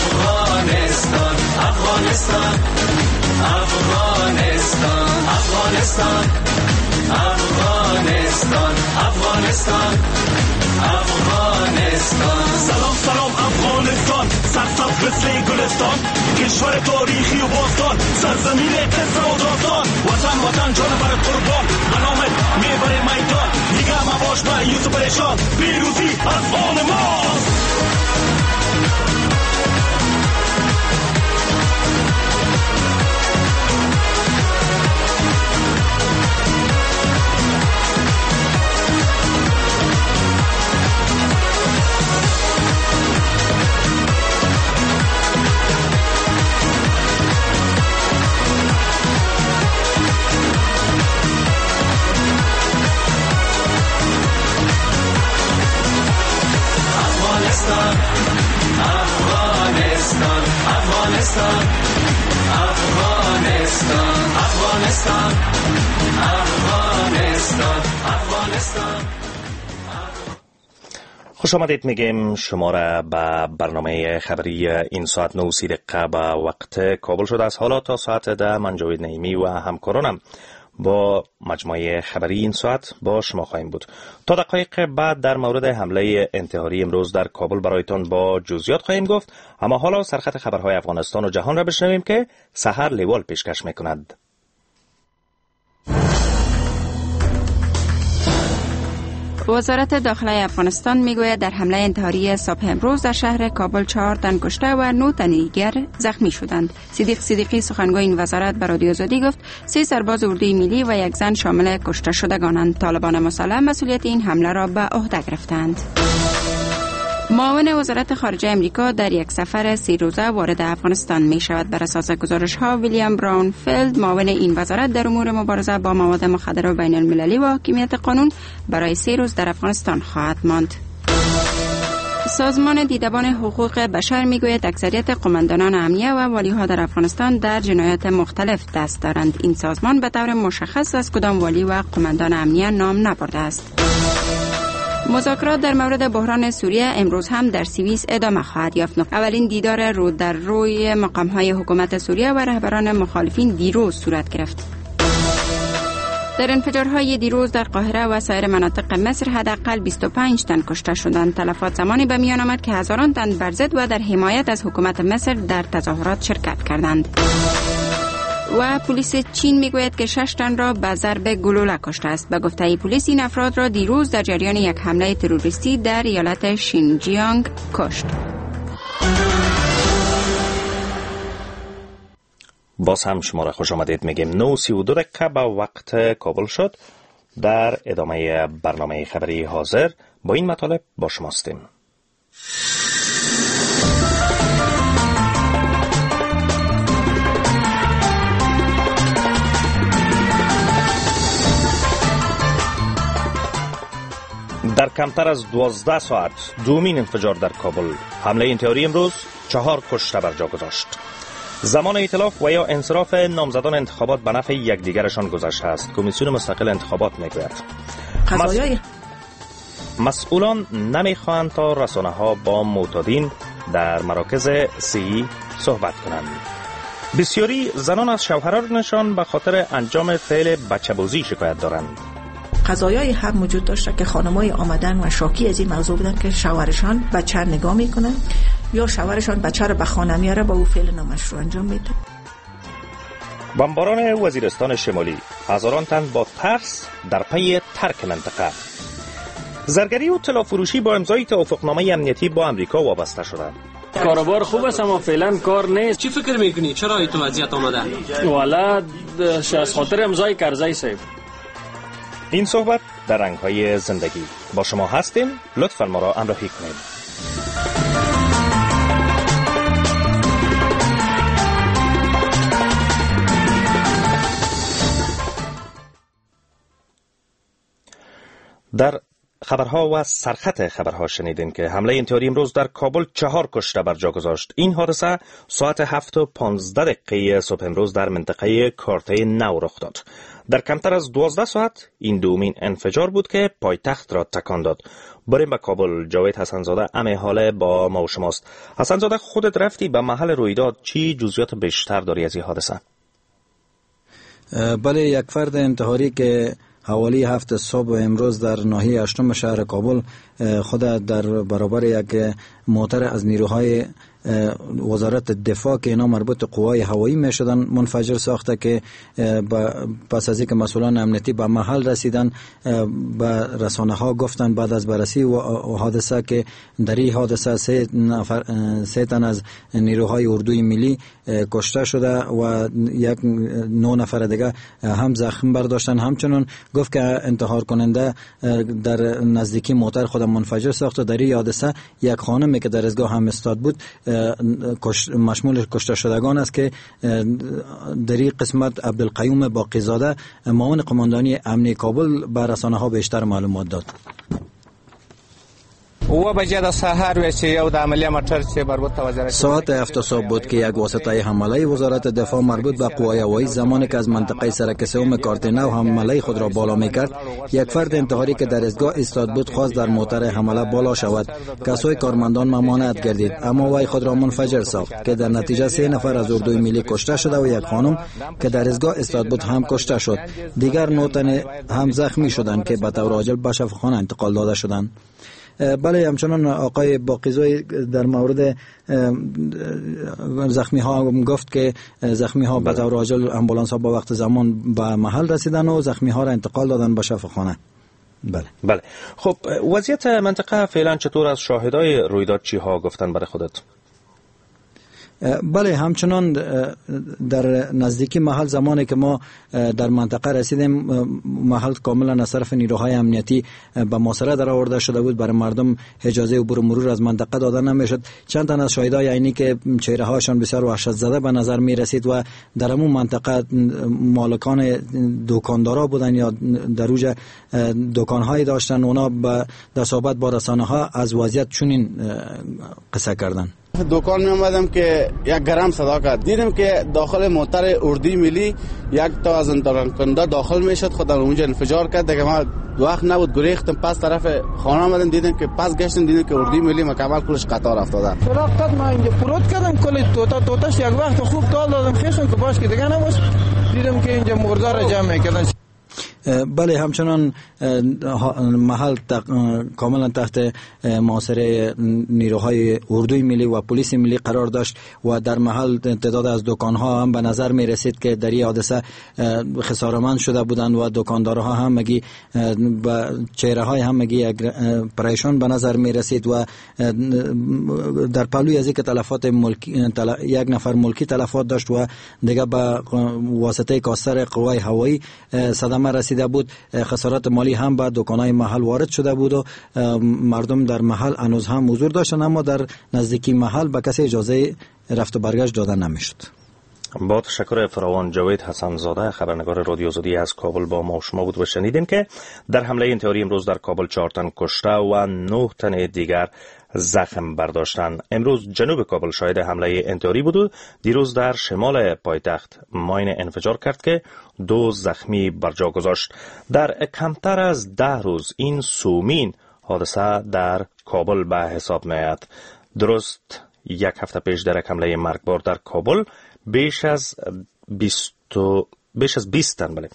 افغانستان افغانستان افغانستان افغانستان افغانستان افغانستان، افغانستان. سلام سلام افغانستان، سرسبز مثل گلستان، کشور تاریخی و باستان، سرزمین قصه و داستان. وطن وطن جان بر قربان، به نامت میبره میدان، دیگه مباش مایوس و پریشان، پیروزی از آن ماست. افغانستان، افغانستان، افغانستان، افغانستان، افغانستان، افغانستان. خوش آمدید میگیم شما را به برنامه خبری این ساعت نه و سی دقیقه به وقت کابل شده از حالا تا ساعت ده. من جاوید نعیمی و همکارانم با مجموعه خبری این ساعت با شما خواهیم بود. تا دقایق بعد در مورد حمله انتحاری امروز در کابل برایتان با جزئیات خواهیم گفت، اما حالا سرخط خبرهای افغانستان و جهان را بشنویم که سحر لیوال پیشکش میکند. وزارت داخله افغانستان میگوید در حمله انتحاری صبح امروز در شهر کابل چهار تن کشته و نه تن دیگر زخمی شدند. صدیق صدیقی سخنگوی این وزارت به رادیو آزادی گفت سه سرباز اردوی ملی و یک زن شامل کشته شدگانند. طالبان مسلح مسئولیت این حمله را به عهده گرفتند. معاون وزارت خارجه امریکا در یک سفر سه روزه وارد افغانستان می شود. بر اساس گزارش ها ویلیام براونفیلد معاون این وزارت در امور مبارزه با مواد مخدر بین المللی و حاکمیت قانون برای سه روز در افغانستان خواهد ماند. سازمان دیدبان حقوق بشر می گوید اکثریت قماندانان امنیه و والیها در افغانستان در جنایات مختلف دست دارند. این سازمان به طور مشخص از کدام والی و قماندان امنیه نام نبرده است. مذاکرات در مورد بحران سوریه امروز هم در سوئیس ادامه خواهد یافت. اولین دیدار رو در روی مقام‌های حکومت سوریه و رهبران مخالفین دیروز صورت گرفت. در انفجارهای دیروز در قاهره و سایر مناطق مصر حداقل بیست و پنج تن کشته شدند. تلفات زمانی به میان آمد که هزاران تن بر ضد و در حمایت از حکومت مصر در تظاهرات شرکت کردند. و پلیس چین میگوید که شش تن را به ضرب گلوله کشته است. به گفته پلیس این افراد را دیروز در جریان یک حمله تروریستی در ایالت شینجیانگ کشت. باز هم شما را خوش آمدید میگیم. نه و سی و دو دقیقه به وقت کابل شد. در ادامه برنامه خبری حاضر با این مطالب با شما هستیم. در کمتر از دوازده ساعت دومین انفجار در کابل، حمله انتحاری امروز چهار کشته بر جا گذاشت. زمان ائتلاف و یا انصراف نامزدان انتخابات به نفع یکدیگرشان گذشته است. کمیسیون مستقل انتخابات میگوید قضایای مسئولان نمیخواهند تا رسانه ها با معتادین در مراکز سی صحبت کنند. بسیاری زنان از شوهرانشان به خاطر انجام فعل بچه‌بازی شکایت دارند. قضایای هم وجود داشته که خانمای آمدن و شاکی از این موضوع بودن که شوهرشان بچه نگاه میکنن یا شوهرشان بچه رو به خانه میاره با او فعل نامشروع انجام میده. بمباران وزیرستان شمالی، هزاران تن با ترس در پی ترک منطقه. زرگری و طلا فروشی با امضای توافقنامه امنیتی با امریکا وابسته شدند. کاروبار خوب است اما فعلا کار نیست. چی فکر میکنی چرا این تو وضعیت آمده؟ والا از خاطر امضای کرزی صاحب. این صحبت در رنگ‌های زندگی با شما هستیم. لطفاً ما را همراهی کنید. در خبرها و سرخط خبرها شنیدیم که حمله انتحاری امروز در کابل چهار کشته بر جا گذاشت. این حادثه ساعت هفت و پانزده دقیقه صبح امروز در منطقه کارته نو رخ داد. در کمتر از دوازده ساعت این دومین انفجار بود که پایتخت را تکان داد. بریم به کابل. جاوید حسنزاده امه حاله با ما و شماست. حسنزاده، خودت رفتی به محل رویداد، چی جزئیات بیشتر داری از این حادثه؟ بله، یک فرد انتحاری که حوالی هفت صبح امروز در ناحیه هشتم شهر کابل خود در برابر یک موتر از نیروهای وزارت دفاع که اینا مربوط قوای هوایی می شدن منفجر ساخته که پس از اینکه مسئولان امنیتی به محل رسیدن به رسانه ها گفتن بعد از بررسی و حادثه که در این حادثه سه نفر سه تن از نیروهای اردوی ملی کشته شده و یک نه نفر دیگه هم زخم برداشتن. همچنین گفت که انتحار کننده در نزدیکی موتر خود منفجر ساخته. در این حادثه یک خانمی که در ایستگاه هم استاد بود مشمول کشته شدگان است که در این قسمت عبدالقیوم باقیزاده معاون قماندانی امنی کابل به رسانه ها بیشتر معلومات داد. ساعت هفت صبح بود که یک واسطه حمله وزارت دفاع مربوط به قوای هوایی زمانی که از منطقه سرک سوم کارت نو حمله خود را بالا میکرد، یک فرد انتحاری که در ایستگاه ایستاد بود خواست در موتر حمله بالا شود. کسای کارمندان ممانعت گردید، اما وی خود را منفجر ساخت که در نتیجه سه نفر از اردوی ملی کشته شده و یک خانم که در ایستگاه ایستاد بود هم کشته شد. دیگر نه تن هم زخمی شدند که به طور عاجل به شفاخانه انتقال داده شدند. بله، همچنان آقای باقیزوی در مورد زخمی ها گفت که زخمی ها به طور عاجل امبولانس ها با وقت زمان به محل رسیدن و زخمی ها را انتقال دادن به شفاخانه. بله بله. خب وضعیت منطقه فعلا چطور از شاهدای رویداد چی ها گفتن برای خودت؟ بله، همچنان در نزدیکی محل زمانی که ما در منطقه رسیدیم محل کاملا از طرف نیروهای امنیتی به محاصره در آورده شده بود. برای مردم اجازه عبور و مرور از منطقه داده نمیشد. چند تن از شاهدای عینی که چهره هاشان بسیار وحشت زده به نظر می رسید و در همون منطقه مالکان دکاندارا بودن یا در اوج دکان‌های داشتن، اونا در صحبت با رسانه ها از وضعیت چنین قصه کردن. دکان می آمدم که یک گرم صدا کرد، دیدم که داخل موتر اردوی ملی یک تا از انتقال داخل میشد، خود در اونجا انفجار کرد. دیگه ما وقت نبود، گریختم پس طرف خانه آمدم، دیدم که پس گشتم، دیدم که اردوی ملی مکمل کلش قطار افتاده. چراغ قد ما اینجا پروت کردم، کل توتا توتاش یک وقت خوب تال دادم خیشم که باش که دیگه نباش، دیدم که اینجا مرده را جمع میکردن. بله، همچنان محل کاملا تحت محاصره نیروهای اردوی ملی و پلیس ملی قرار داشت و در محل تعداد از دکانها هم به نظر می رسید که در این حادثه خسارمند شده بودند و دکاندارها هم مگی با چهره های هم مگی پریشان به نظر می رسید و در پهلوی از اینکه تلفات ملکی یک نفر ملکی تلفات داشت و دیگه به واسطه کاستر قوای هوایی صدمه رسید بود، خسارات مالی هم به دکان‌های محل وارد شده بود و مردم در محل هنوز هم حضور داشتند، اما در نزدیکی محل به کسی اجازه رفت و برگشت داده نمیشد. با تشکر فراوان جاوید حسن زاده خبرنگار رادیو آزادی از کابل با ما و شما بود و شنیدین که در حمله انتحاری امروز در کابل چهار تن کشته و نه تن دیگر زخم برداشتند. امروز جنوب کابل شاهد حمله انتحاری بود و دیروز در شمال پایتخت ماین انفجار کرد که دو زخمی بر جا گذاشت. در کمتر از ده روز این سومین حادثه در کابل به حساب می‌آید. درست یک هفته پیش در حمله مرگبار در کابل بیش از بیست بیش از بیست تن بله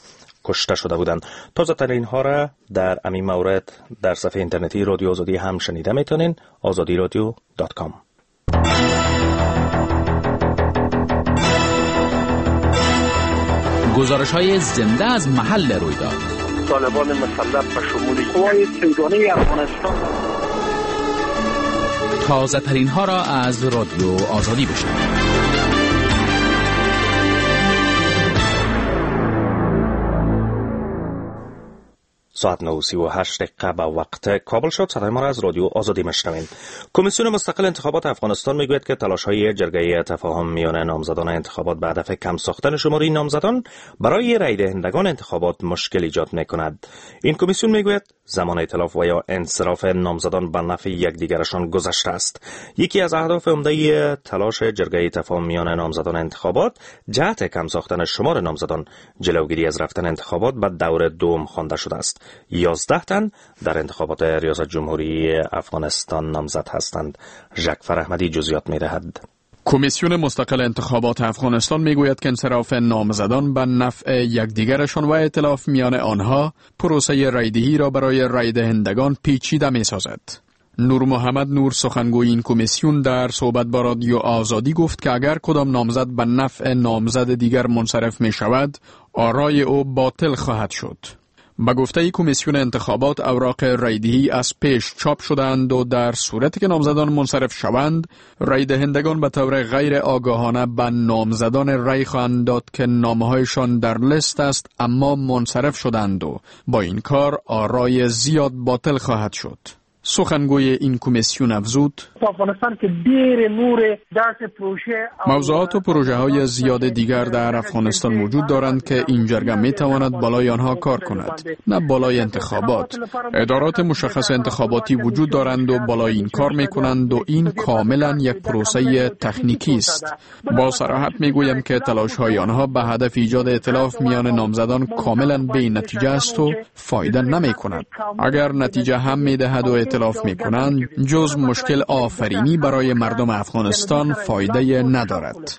کشته شده بودند. تازه ترین ها را در همین مورد در صفحه اینترنتی رادیو آزادی هم شنیده میتونین، آزادی رادیو دات کام. گزارش های زنده از محل رویداد. طالبان مسلح به شمول قوای سیگانه افغانستان. تازه ترین ها را از رادیو آزادی بشنوید. ساعت نه و سی و هشت دقیقه به وقت کابل شد. صدای ما را از رادیو آزادی میشنوید. کمیسیون مستقل انتخابات افغانستان میگوید که تلاش‌های جرگه تفاهم میان نامزدان انتخابات به هدف کم ساختن شماره نامزدان برای رای دهندگان انتخابات مشکل ایجاد میکند. این کمیسیون میگوید زمان ائتلاف و یا انصراف نامزدان به نفع یکدیگرشان گذشته است. یکی از اهداف عمده تلاش جرگه تفاهم میان نامزدان انتخابات جهت کم ساختن شمار نامزدان جلوگیری از رفتن انتخابات به دور دوم خوانده شده است. یازده تن در انتخابات ریاست جمهوری افغانستان نامزد هستند. جعفر احمدی جزئیات می‌دهد. کمیسیون مستقل انتخابات افغانستان میگوید که انصراف نامزدان به نفع یکدیگرشان و ائتلاف میان آنها پروسه رایدهی را برای رایدهندگان پیچیده میسازد. نور محمد نور، سخنگوی این کمیسیون، در صحبت با رادیو آزادی گفت که اگر کدام نامزد به نفع نامزد دیگر منصرف می شود، آرای او باطل خواهد شد. به گفته کمیسیون انتخابات، اوراق رایدهی از پیش چاپ شدند و در صورتی که نامزدان منصرف شوند، رایدهندگان به طور غیر آگاهانه به نامزدان رای خواهند داد که نامهایشان در لیست است اما منصرف شدند و با این کار آرای زیاد باطل خواهد شد. سخنگوی این کمیسیون افزود: موضوعات و پروژه های زیاد دیگر در افغانستان وجود دارند که این جرگه می تواند بالای آنها کار کند، نه بالای انتخابات. ادارات مشخص انتخاباتی وجود دارند و بالای این کار می کنند و این کاملا یک پروسه تکنیکی است. با صراحت می گویم که تلاش های آنها به هدف ایجاد ائتلاف میان نامزدان کاملا بی نتیجه است و فایده نمی کند. اگر نتیجه هم می دهد و ائتلاف می کنند، جز مشکل آفرینی برای مردم افغانستان فایده ندارد.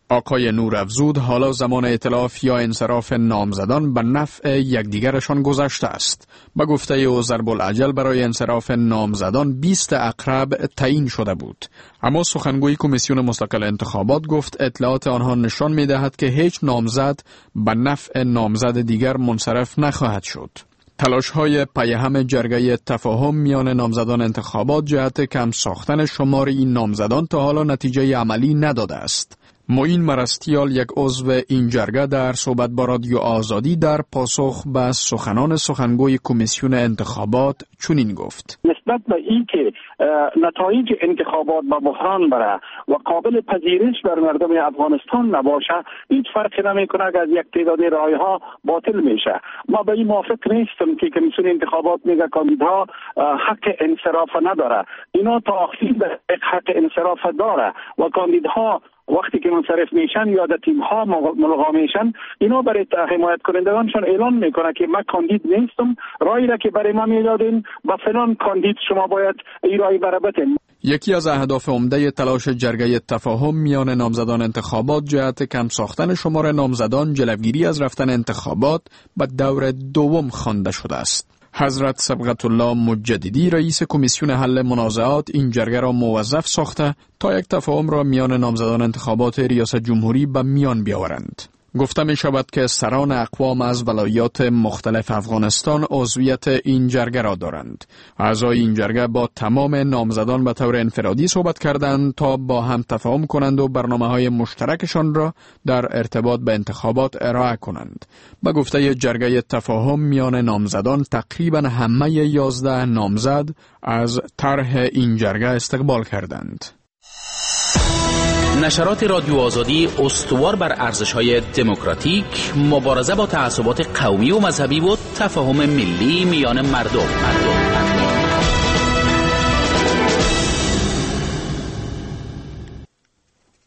آقای نور افزود حالا زمان ائتلاف یا انصراف نامزدان به نفع یکدیگرشان گذشته است. به گفته او ضرب الاجل برای انصراف نامزدان بیست عقرب تعیین شده بود. اما سخنگوی کمیسیون مستقل انتخابات گفت اطلاعات آنها نشان می‌دهد که هیچ نامزد به نفع نامزد دیگر منصرف نخواهد شد. تلاش‌های پیهم جرگه تفاهم میان نامزدان انتخابات جهت کم ساختن شمار این نامزدان تا حالا نتیجه عملی نداده است. معین مرستیال، یک عضو این جرگه، در صحبت با رادیو آزادی در پاسخ به سخنان سخنگوی کمیسیون انتخابات چنین گفت: نسبت به اینکه نتایج انتخابات به بحران بره و قابل پذیرش بر مردم افغانستان نباشه، هیچ فرقی نمیکنه که از یک تعداد رای ها باطل میشه. ما به این موافق نیستم که کمیسیون انتخابات میگه کاندیدها حق انصراف نداره. اینا تا آخرین حق انصراف داره و کاندیدها وقتی که منصرف میشن یا در تیم ها ملغا میشن، اینا برای حمایت کنندگانشان اعلان میکنه که من کاندید نیستم، رای را که برای ما میدادین با فلان کاندید شما باید این رای برای بتین. یکی از اهداف عمده تلاش جرگه تفاهم میان نامزدان انتخابات جهت کم ساختن شمار نامزدان، جلوگیری از رفتن انتخابات به دور دوم خوانده شده است. حضرت صبغت الله مجددی، رئیس کمیسیون حل منازعات، این جرگه را موظف ساخته تا یک تفاهم را میان نامزدان انتخابات ریاست جمهوری به میان بیاورند. گفته می شود که سران اقوام از ولایات مختلف افغانستان عضویت این جرگه را دارند. اعضای این جرگه با تمام نامزدان به طور انفرادی صحبت کردند تا با هم تفاهم کنند و برنامه‌های مشترکشان را در ارتباط به انتخابات ارائه کنند. به گفته جرگه تفاهم میان نامزدان، تقریبا همه یازده نامزد از طرح این جرگه استقبال کردند. نشرات رادیو آزادی استوار بر ارزش‌های دموکراتیک، مبارزه با تعصبات قومی و مذهبی و تفاهم ملی میان مردم.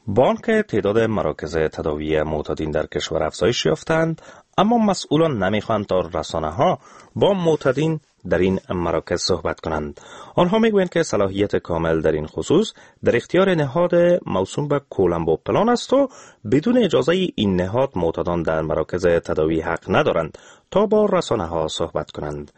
بانک تعداد مراکز تداوی معتادین در کشور افزایش یافتند، اما مسئولان نمیخواهند تا رسانه ها با معتادین در این مراکز صحبت کنند. آنها میگویند که صلاحیت کامل در این خصوص در اختیار نهاد موسوم به کولمبو پلان است و بدون اجازه این نهاد معتادان در مراکز تداوی حق ندارند تا با رسانه ها صحبت کنند.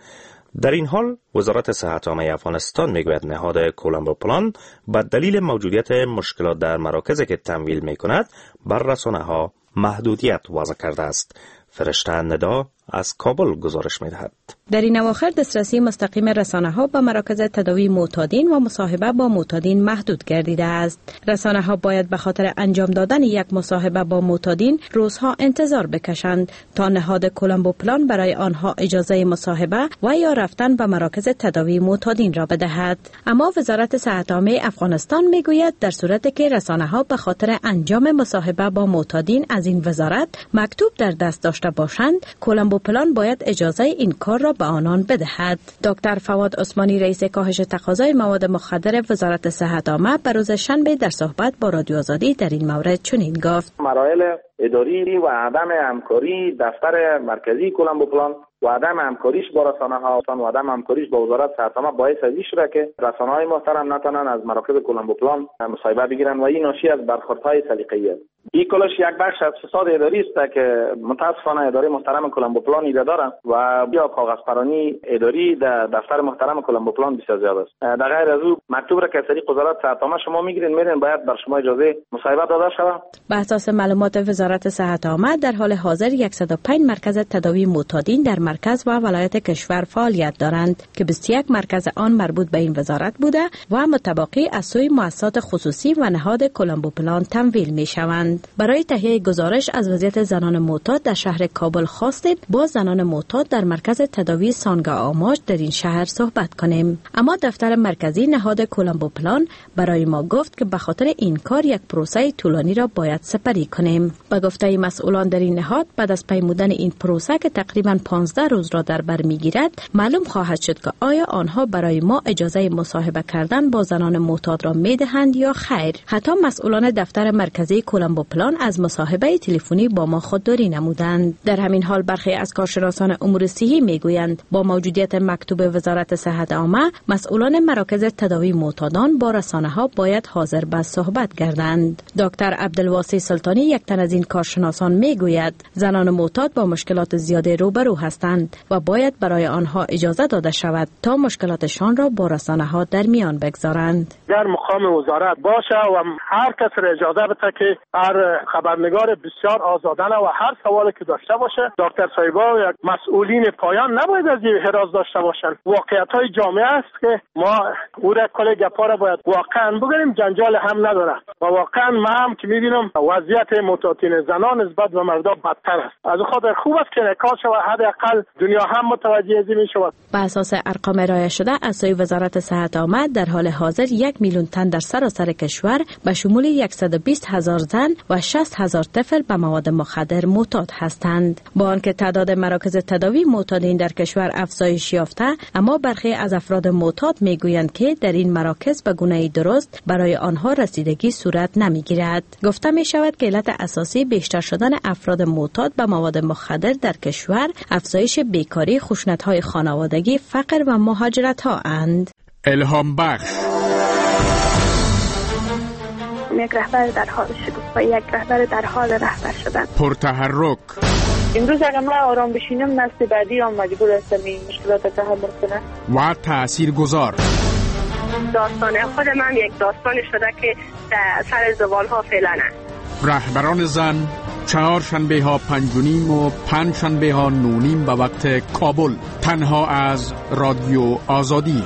در این حال وزارت صحت عامه افغانستان میگوید نهاد کولمبو پلان به دلیل موجودیت مشکلات در مراکزی که تمویل میکند بر رسانه ها محدودیت وضع کرده است. فرشته ندا از کابل گزارش می‌دهد. در این اواخر دسترسی مستقیم رسانه‌ها به مراکز تداوی معتادین و مصاحبه با معتادین محدود گردیده است. رسانه‌ها باید به خاطر انجام دادن یک مصاحبه با معتادین روزها انتظار بکشند تا نهاد کولمبو پلان برای آنها اجازه مصاحبه و یا رفتن به مراکز تداوی معتادین را بدهد. اما وزارت صحت عامه افغانستان میگوید در صورتی که رسانه‌ها به خاطر انجام مصاحبه با معتادین از این وزارت مکتوب در دست داشته باشند، کولمبو پلان باید اجازه این کار را به آنان بدهد. دکتر فواد عثمانی، رئیس کاهش تقاضای مواد مخدر وزارت صحت عامه، به روز شنبه در صحبت با رادیو آزادی در این مورد چنین گفت: مراحل اداری و عدم همکاری دفتر مرکزی کولمبو پلان و عدم همکاریش با رسانه ها و عدم همکاریش با وزارت صحت عامه باعث از این شده که رسانه های محترم نتونن از مراکز کولمبو پلان مصاحبه بگیرن و این ناشی از برخوردهای سلیقه‌ای است. این کلش یک بخش از فساد اداری است که متاسفانه اداره محترم کولمبو پلان ایده دارن و یا کاغذ پرانی اداری در دفتر محترم کولمبو پلان بسیار زیاد است. در غیر از او مکتوب را که از طریق وزارت صحت عامه شما میگیرین میرین باید بر شما اجازه مصاحبه داده شود. به اساس معلومات وزارت صحت عامه در حال حاضر صد و پنج مرکز تداوی معتادین در مرکز و ولایت کشور فعالیت دارند که بیست و یک مرکز آن مربوط به این وزارت بوده و متباقی از سوی مؤسسات خصوصی و نهاد کولمبو پلان تمویل می شوند. برای تهیه گزارش از وضعیت زنان معتاد در شهر کابل خواستیم با زنان معتاد در مرکز تداوی سانگا آماج در این شهر صحبت کنیم، اما دفتر مرکزی نهاد کولمبو پلان برای ما گفت که به خاطر این کار یک پروسه طولانی را باید سپری کنیم. به گفته مسئولان در این نهاد بعد از پیمودن این پروسه که تقریباً پانزده روز را در بر میگیرد معلوم خواهد شد که آیا آنها برای ما اجازه مصاحبه کردن با زنان معتاد را میدهند یا خیر. حتی مسئولان دفتر مرکزی کولمبو پلان از مصاحبه تلفنی با ما خودداری نمودند. در همین حال برخی از کارشناسان امور صحی میگویند با موجودیت مکتوب وزارت صحت عامه مسئولان مراکز تداوی معتادان با رسانه ها باید حاضر به صحبت گردند. دکتر عبدالواسع سلطانی یک تن از این کارشناسان میگوید زنان معتاد با مشکلات زیاد روبرو هستند و باید برای آنها اجازه داده شود تا مشکلاتشان را با رسانه ها در میان بگذارند. در مقام وزارت باشه و هر کس را اجازه بده که هر خبرنگار بسیار آزادانه و هر سوالی که داشته باشه دکتر صاحبا و مسئولین پایان نباید از این هراس داشته باشند. واقعیت های جامعه است که ما او را کل گپا را باید واقعا بگیریم، جنجال هم نداره و واقعا ما هم که میبینم وضعیت معتادین زنان نسبت به مردا بدتر است. از خاطر خوب است که نکاح شود، حداقل دنیا هم متوجه از این شود. به اساس ارقام ارائه شده از سوی وزارت صحت عامه در حال حاضر یک میلیون تن در سراسر کشور به شمول صد و بیست هزار زن و شصت هزار طفل به مواد مخدر معتاد هستند. با آنکه تعداد مراکز تداوی معتادین در کشور افزایش یافته، اما برخی از افراد معتاد میگویند که در این مراکز به گونه درست برای آنها رسیدگی صورت نمیگیرد. گفته می شود که علت اساسی بیشتر شدن افراد معتاد به مواد مخدر در کشور افزایش بیکاری، خشونت‌های خانوادگی، فقر و مهاجرت‌ها اند. الهام بخش. یک رهبر در حال شگفت و یک رهبر در حال رهبر شدن. پرتحرک. امروز اگر ما آرام بشینم نسل بعدی هم مجبور است این مشکلات تحمل کنه. و تاثیرگذار. داستان خود من یک داستان شده که در سر زبان ها فعلا است. رهبران زن، چهار شنبه ها پنج و نیم و پنج شنبه ها نه نیم به وقت کابل، تنها از رادیو آزادی.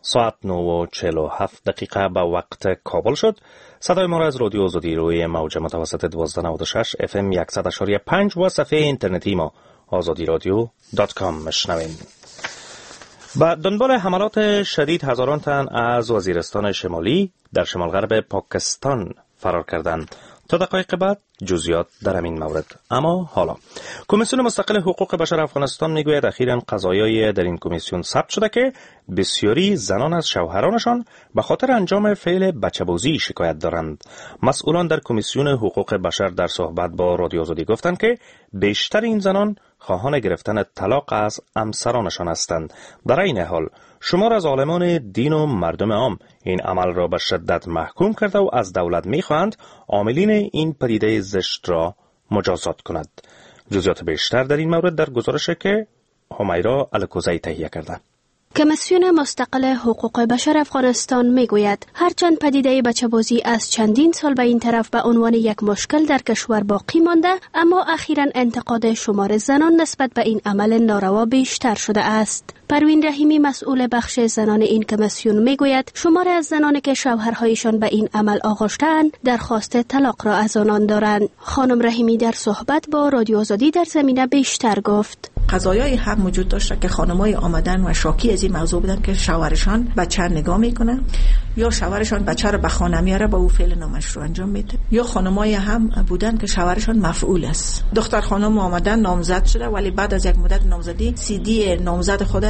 ساعت نه و چهل و هفت دقیقه به وقت کابل شد. صدای ما را از رادیو آزادی روی موج متوسط دوازده نود و شش اف ام صد و پنج و صفحه اینترنتی ما آزادی رادیو dot com مشنوین. به دنبال حملات شدید هزاران تن از وزیرستان شمالی در شمال غرب پاکستان فرار کردند. تا دقایق بعد جزئیات در همین مورد. اما حالا کمیسیون مستقل حقوق بشر افغانستان میگوید اخیراً قضایای در این کمیسیون ثبت شده که بسیاری زنان از شوهرانشان به خاطر انجام فعل بچه‌بازی شکایت دارند. مسئولان در کمیسیون حقوق بشر در صحبت با رادیو آزادی گفتند که بیشتر این زنان خواهان گرفتن طلاق از همسرانشان هستند. در این حال شمار از عالمان دین و مردم عام این عمل را به شدت محکوم کرده و از دولت میخواهند عاملین این پدیده زشت را مجازات کند. جزئیات بیشتر در این مورد در گزارشی که حمیرا الکوزی تهیه کرده. کمیسیون مستقل حقوق بشر افغانستان میگوید هرچند پدیده بچه‌بازی از چندین سال به این طرف به عنوان یک مشکل در کشور باقی مانده، اما اخیراً انتقاد شمار زنان نسبت به این عمل ناروا بیشتر شده است. پروین رحیمی مسئول بخش زنان این کمیسیون میگوید شمار از زنانی که شوهرهایشان به این عمل آغشته‌اند درخواست طلاق را از آنان دارند. خانم رحیمی در صحبت با رادیو آزادی در زمینه بیشتر گفت: قضایای هم وجود داشته که خانمای آمدن و شاکی از این موضوع بودن که شوهرشان بچه نگاه میکنه یا شوهرشان بچه رو به خانه میاره با او فعل نامشروع انجام میده، یا خانمای هم بودن که شوهرشان مفعول است. دختر خانم آمدن نامزد شده، ولی بعد از یک مدت نامزدی سی دی نامزد خود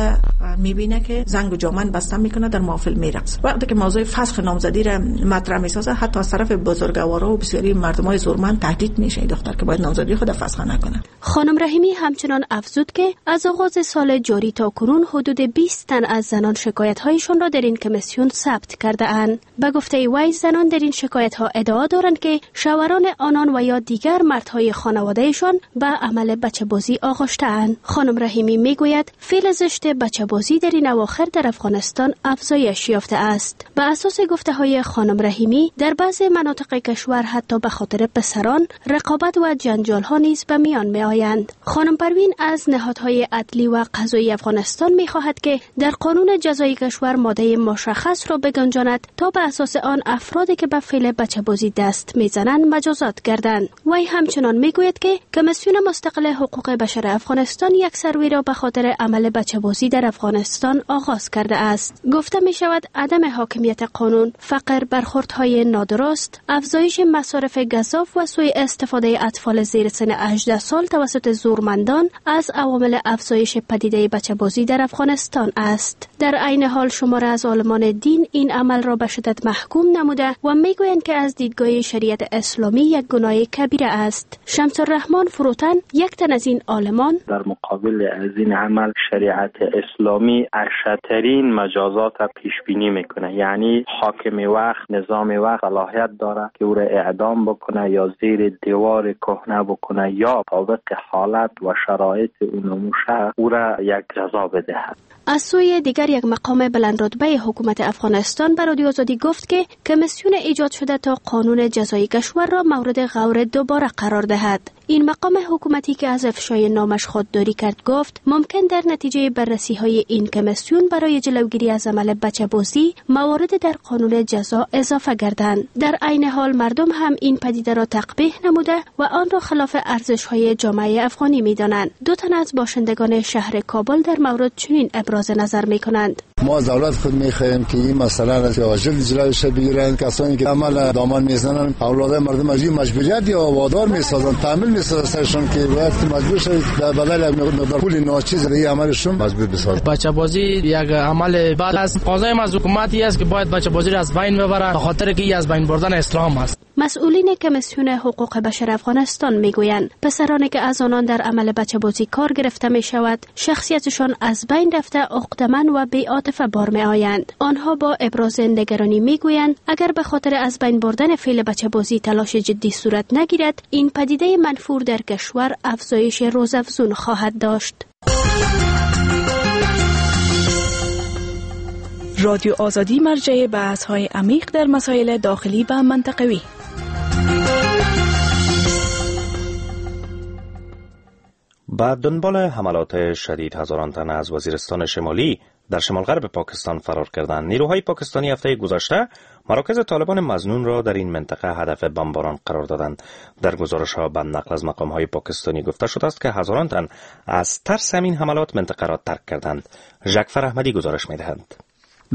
میبینه که زنگ و جامن بسته میکنه، در محافل میرقصه. وقتی که موضوع فسخ نامزدی را مطرح میسازه، حتی از طرف بزرگوارا و بسیاری مردمای زورمند تهدید میشه دختر که باید نامزدی خود فسخ نکنه. خانم رحیمی همچنان افزود که از آغاز سال جاری تا کنون حدود بیست تن از زنان شکایت هایشان را در این کمیسیون ثبت کرده اند. به گفته وی زنان در این شکایت ها ادعا دارند که شوهران آنان و یا دیگر مردهای خانوادهشان به عمل بچه بازی آغشته اند. خانم رحیمی میگوید فعل زشت بچه بازی در این اواخر در افغانستان افزایش یافته است. به اساس گفته های خانم رحیمی در بعض مناطق کشور حتی به خاطر پسران رقابت و جنجال ها نیز به میان می آیند. خانم پروین از نهادهای عدلی و قضایی افغانستان می خواهد که در قانون جزایی کشور ماده مشخص را بگنجاند تا به اساس آن افرادی که به فعل بچه بازی دست میزنند مجازات گردند. وی همچنان میگوید که کمیسیون مستقل حقوق بشر افغانستان یک سروی را به خاطر عمل بچه بازی در افغانستان آغاز کرده است. گفته می شود عدم حاکمیت قانون، فقر، برخوردهای نادرست، افزایش مصارف گزاف و سوء استفاده اطفال زیر سن هجده سال توسط زورمندان از عوامل افزایش پدیده بچه بازی در افغانستان است. در عین حال شمار از عالمان دین این عمل را به شدت محکوم نموده و میگویند که از دیدگاه شریعت اسلامی یک گناه کبیره است. شمس الرحمن فروتن یک تن از این عالمان: در مقابل از این عمل شریعت اسلامی اشدترین مجازات را پیش بینی میکنه، یعنی حاکم وقت، نظام وقت صلاحیت داره که او را اعدام بکنه یا زیر دیوار کهنه بکنه یا طابق حالت و شرایط اون او را یک جزا بدهد. از سوی دیگر یک مقام بلند رتبه حکومت افغانستان به رادیو آزادی گفت که کمیسیون ایجاد شده تا قانون جزایی کشور را مورد غور دوباره قرار دهد. این مقام حکومتی که از افشای نامش خودداری کرد گفت ممکن در نتیجه بررسی های این کمیسیون برای جلوگیری از عمل بچه بازی موارد در قانون جزا اضافه گردند. در عین حال مردم هم این پدیده را تقبیح نموده و آن را خلاف ارزش های جامعه افغانی می دانند. دو تن از باشندگان شهر کابل در مورد چنین ابراز نظر می کنند. ما از دولت خود میخواهیم که این مسئله را عاجل جلوش بگیرند. کسانی که عمل دامان میزنن اولاد مردم از این مجبوریت یا وادار میسازن، تحمیل میسازن سرشون که باید مجبور شد در بدل یک مقدار پول ناچیز این عملشون مجبور بسازن. بچه بازی یک عمل بد است. قضای از حکومتی است که باید بچه بازی را از بین ببرند، به خاطر که از بین بردن اسلام است. مسئولین کمیسیون حقوق بشر افغانستان میگویند پسرانی که از آنان در عمل بچه بازی کار گرفته می شود شخصیتشان از بین رفته، عقده‌مند و بی‌عاطفه بار می آیند. آنها با ابراز نگرانی میگویند اگر به خاطر از بین بردن فعل بچه بازی تلاش جدی صورت نگیرد این پدیده منفور در کشور افزایش روزافزون خواهد داشت. رادیو آزادی مرجع بحث‌های عمیق در مسائل داخلی و منطقوی. بعد دنبال حملات شدید هزاران تن از وزیرستان شمالی در شمال غرب پاکستان فرار کردند. نیروهای پاکستانی هفته گذشته مراکز طالبان مظنون را در این منطقه هدف بمباران قرار دادند. در گزارش ها به نقل از مقام های پاکستانی گفته شده است که هزاران تن از ترس همین حملات منطقه را ترک کردند. جعفر احمدی گزارش می‌دهد.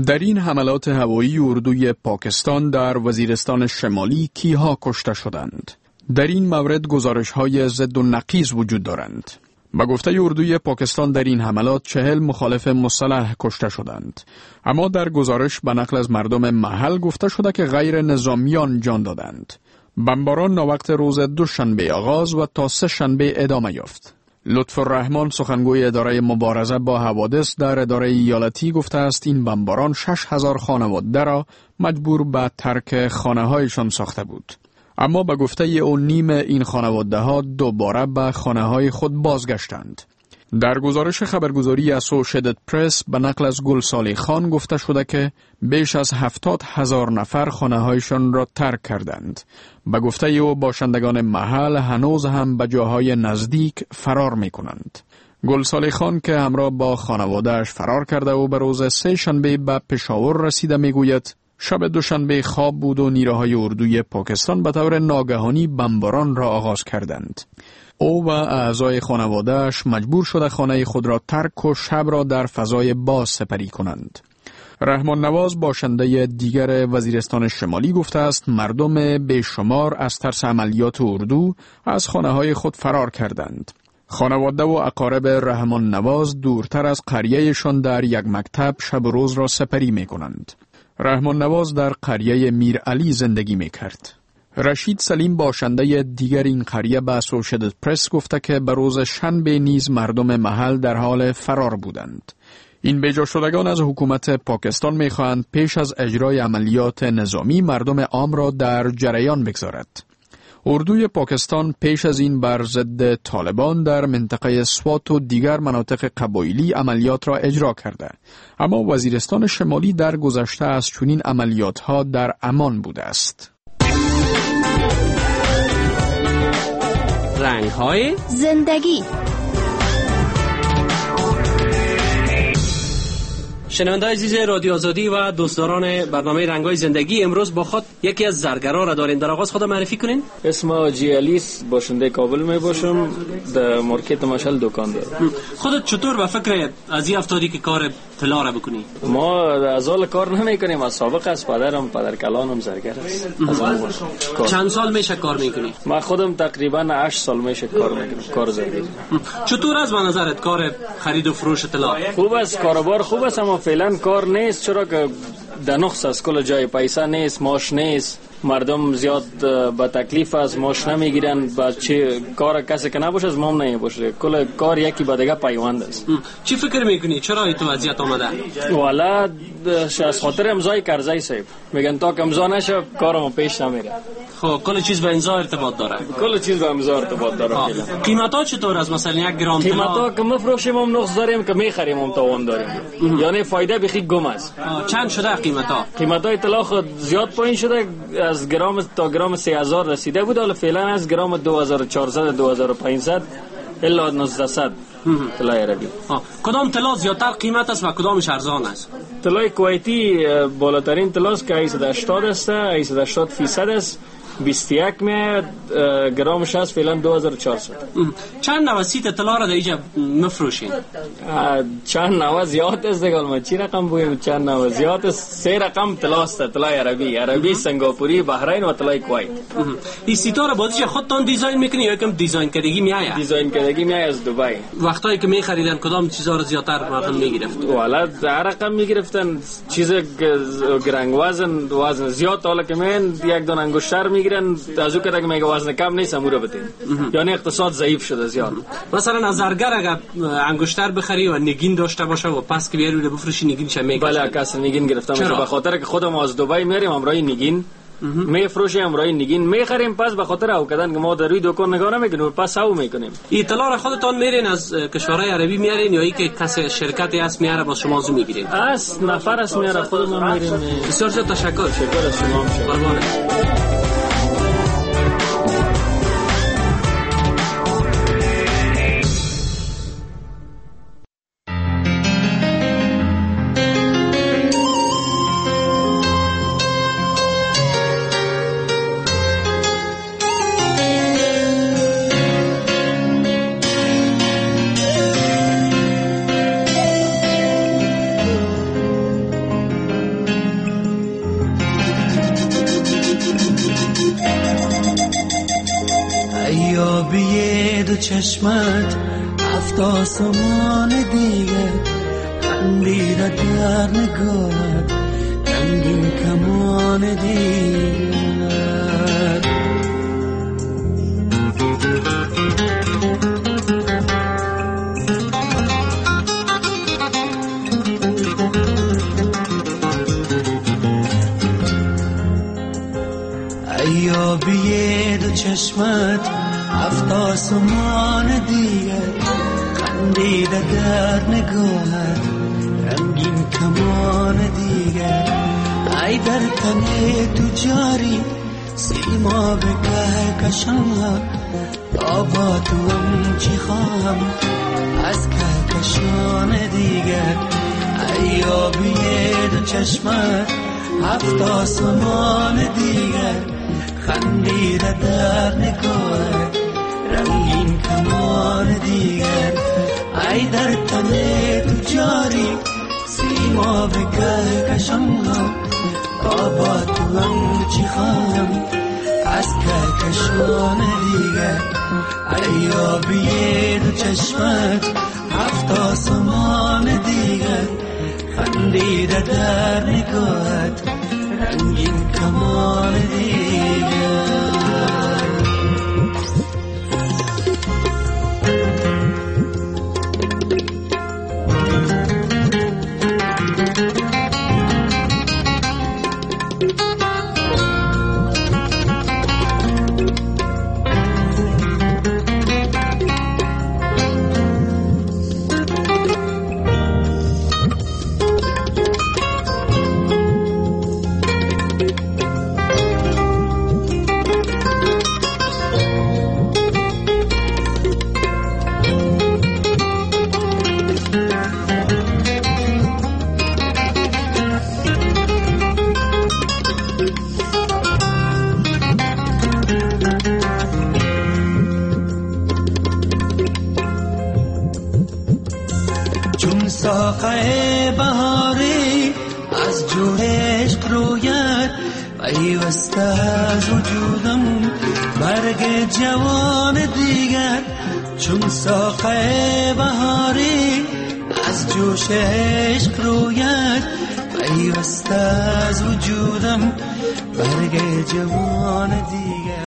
در این حملات هوایی اردوی پاکستان در وزیرستان شمالی کیها کشته شدند. در این مورد گزارش های ضد و نقیض وجود دارند. با گفته اردوی پاکستان در این حملات چهل مخالف مسلح کشته شدند. اما در گزارش به نقل از مردم محل گفته شده که غیر نظامیان جان دادند. بمباران ناوقت روز دوشنبه آغاز و تا سه شنبه ادامه یافت. لطف الرحمن سخنگوی اداره مبارزه با حوادث در اداره ایالتی گفته است این بمباران شش هزار خانواده را مجبور به ترک خانه هایشان ساخته بود. اما به گفته او نیم این خانواده ها دوباره به خانه های خود بازگشتند. در گزارش خبرگزاری اسوشیتد پرس به نقل از گلسالی خان گفته شده که بیش از هفتاد هزار نفر خانه هایشان را ترک کردند. به گفته او باشندگان محل هنوز هم به جاهای نزدیک فرار می کنند. گلسالی خان که همراه با خانواده‌اش فرار کرده و به روز سه شنبه به پشاور رسیده می گوید شب دوشنبه خواب بود و نیروهای اردوی پاکستان به طور ناگهانی بمباران را آغاز کردند. او و اعضای خانواده‌اش مجبور شده خانه خود را ترک و شب را در فضای باز سپری کنند. رحمان نواز باشنده دیگر وزیرستان شمالی گفته است مردم بیشمار از ترس عملیات اردو از خانه های خود فرار کردند. خانواده و اقارب رحمان نواز دورتر از قریهشان در یک مکتب شب و روز را سپری می کنند. رحمان نواز در قریه میر علی زندگی می کرد. رشید سلیم باشنده دیگر این قریه به اسوشیتد پرس گفته که به روز شنبه نیز مردم محل در حال فرار بودند. این بیجا شدگان از حکومت پاکستان می خواهند پیش از اجرای عملیات نظامی مردم عام را در جریان بگذارد. اردوی پاکستان پیش از این بر ضد طالبان در منطقه سوات و دیگر مناطق قبایلی عملیات را اجرا کرده، اما وزیرستان شمالی در گذشته از چنین عملیات ها در امان بوده است. رنگ های زندگی. شنونده عزیز رادیو آزادی و دوستداران برنامه رنگ‌های زندگی، امروز با خود یکی از زرگرا را داریم. در آغاز خود معرفی کنین. اسم حاجی علیس، باشنده کابل می باشم، در مارکت مشعل دکان دارم. خودت چطور به فکر از این افتادی که کار طلا را بکنی؟ ما از اول کار نمی‌کنیم، از سابق از پدرم، پدر کلانم زرگر است. از اون چند سال میشه کار میکنی؟ ما خودم تقریبا هشت سال میشه کار میکنم، کار زرگری. چطور از به نظرت کار خرید و فروش طلا؟ خوب است، کاروبار خوب است، اما فعلا کار نیست، چرا که در نقص است، کل جای پیسه نیست، ماش نیست، مردم زیاد به تکلیف است، ماش نمیگیرن، با چه کار کسی که نباشه از مام نمیباشه، کل کار یکی با دیگه پیوند است. چی فکر میکنی چرا این تو وضعیت آمده؟ والا از خاطر امضای کرزی صاحب میگن تا که امضا نشه کارم پیش نمیره. خب کل چیز به امضا ارتباط داره. کل چیز به امضا ارتباط داره. قیمت ها چطور است؟ مثلا یک گرم طلا قیمت ها که مفروشیم هم نقص داریم، که میخریم هم توان داریم، یعنی فایده بخی گم است. چند شده قیمت ها؟ قیمت های طلا خود زیاد پایین شده، از گرم تا گرم سه هزار رسیده بود، حالا فعلا از گرم دو هزار و چهارصد دو هزار و پانصد الی نوزده طلای عربی. کدام طلا زیادتر قیمت است و کدامش ارزان است؟ طلای کویتی بالاترین طلاست که هشتصد و هشتاد است، هشتصد و هشتاد فیصد است، بیست و یک می گرمش است فعلا دو هزار و چهارصد. چند نوع سیت طلا را در اینجا مفروشین؟ چند نوع زیاد است دیگه، ما چی رقم بگیم، چند نوع زیاد است، سه رقم طلا است، طلای عربی، عربی سنگاپوری، بحرین و طلای کویت. این سیتا را بازیش خودتان design میکنی یا یکم design کردگی میآید؟ design کردگی میآید از دبی. وقتایی که میخریدن کدام چیزا را زیادتر مردم میگرفت؟ والا هر رقم میگرفتن، چیز گرنگ وزن وزن زیاد، حالا که من یک دون انگشتر میگیرن از او که دیگه میگه وزن کم نیست امورو بدین، یعنی اقتصاد ضعیف شده زیاد. مثلا از زرگر اگر انگشتر بخری و نگین داشته باشه و پس که بیاری بفروشی نگینش میگه؟ بله کس نگین گرفتم به خاطر که خودم از دبی میریم امرای نگین میفروشیم، امرای نگین میخریم، پس به خاطر او کردن که ما در روی دکان نگاه نمیکنیم، پس او میکنیم. اطلاع را خودتان میرین از کشورهای عربی میارین یا ای که کس شرکتی هست میاره با شما زو میگیرین؟ از نفر است میاره، خودمون میریم. بسیار تشکر. تشکر از شما. قربان. چشمت هفت آسمان دیگه خندیده در نگاهت رنگین کمان دیگر. ایابی دو چشمت هفت آسمان دیگر خندیده در نگاهت رنگین کمان دیگر. ای در تن تو جاری سیما به کهکشان، تا با تو هم چی خواهم از کهکشان دیگر. ای آبی دو چشمت هفت آسمان دیگر خندیده در نگاهت رنگین کمان دیگر. ای در تن تو جاری سیما به کهکشان خواهم چی خواهم از کهکشان دیگر، ای آبی دو چشمت هفت آسمان دیگر، خندیده در نگاهت رنگین کمان دیگر. ساقه بهاری از جور عشق روید، پیوسته از وجودم برگ جوان دیگر، چون ساقه بهاری از جوش عشق روید، پیوسته از وجودم برگ جوان دیگر.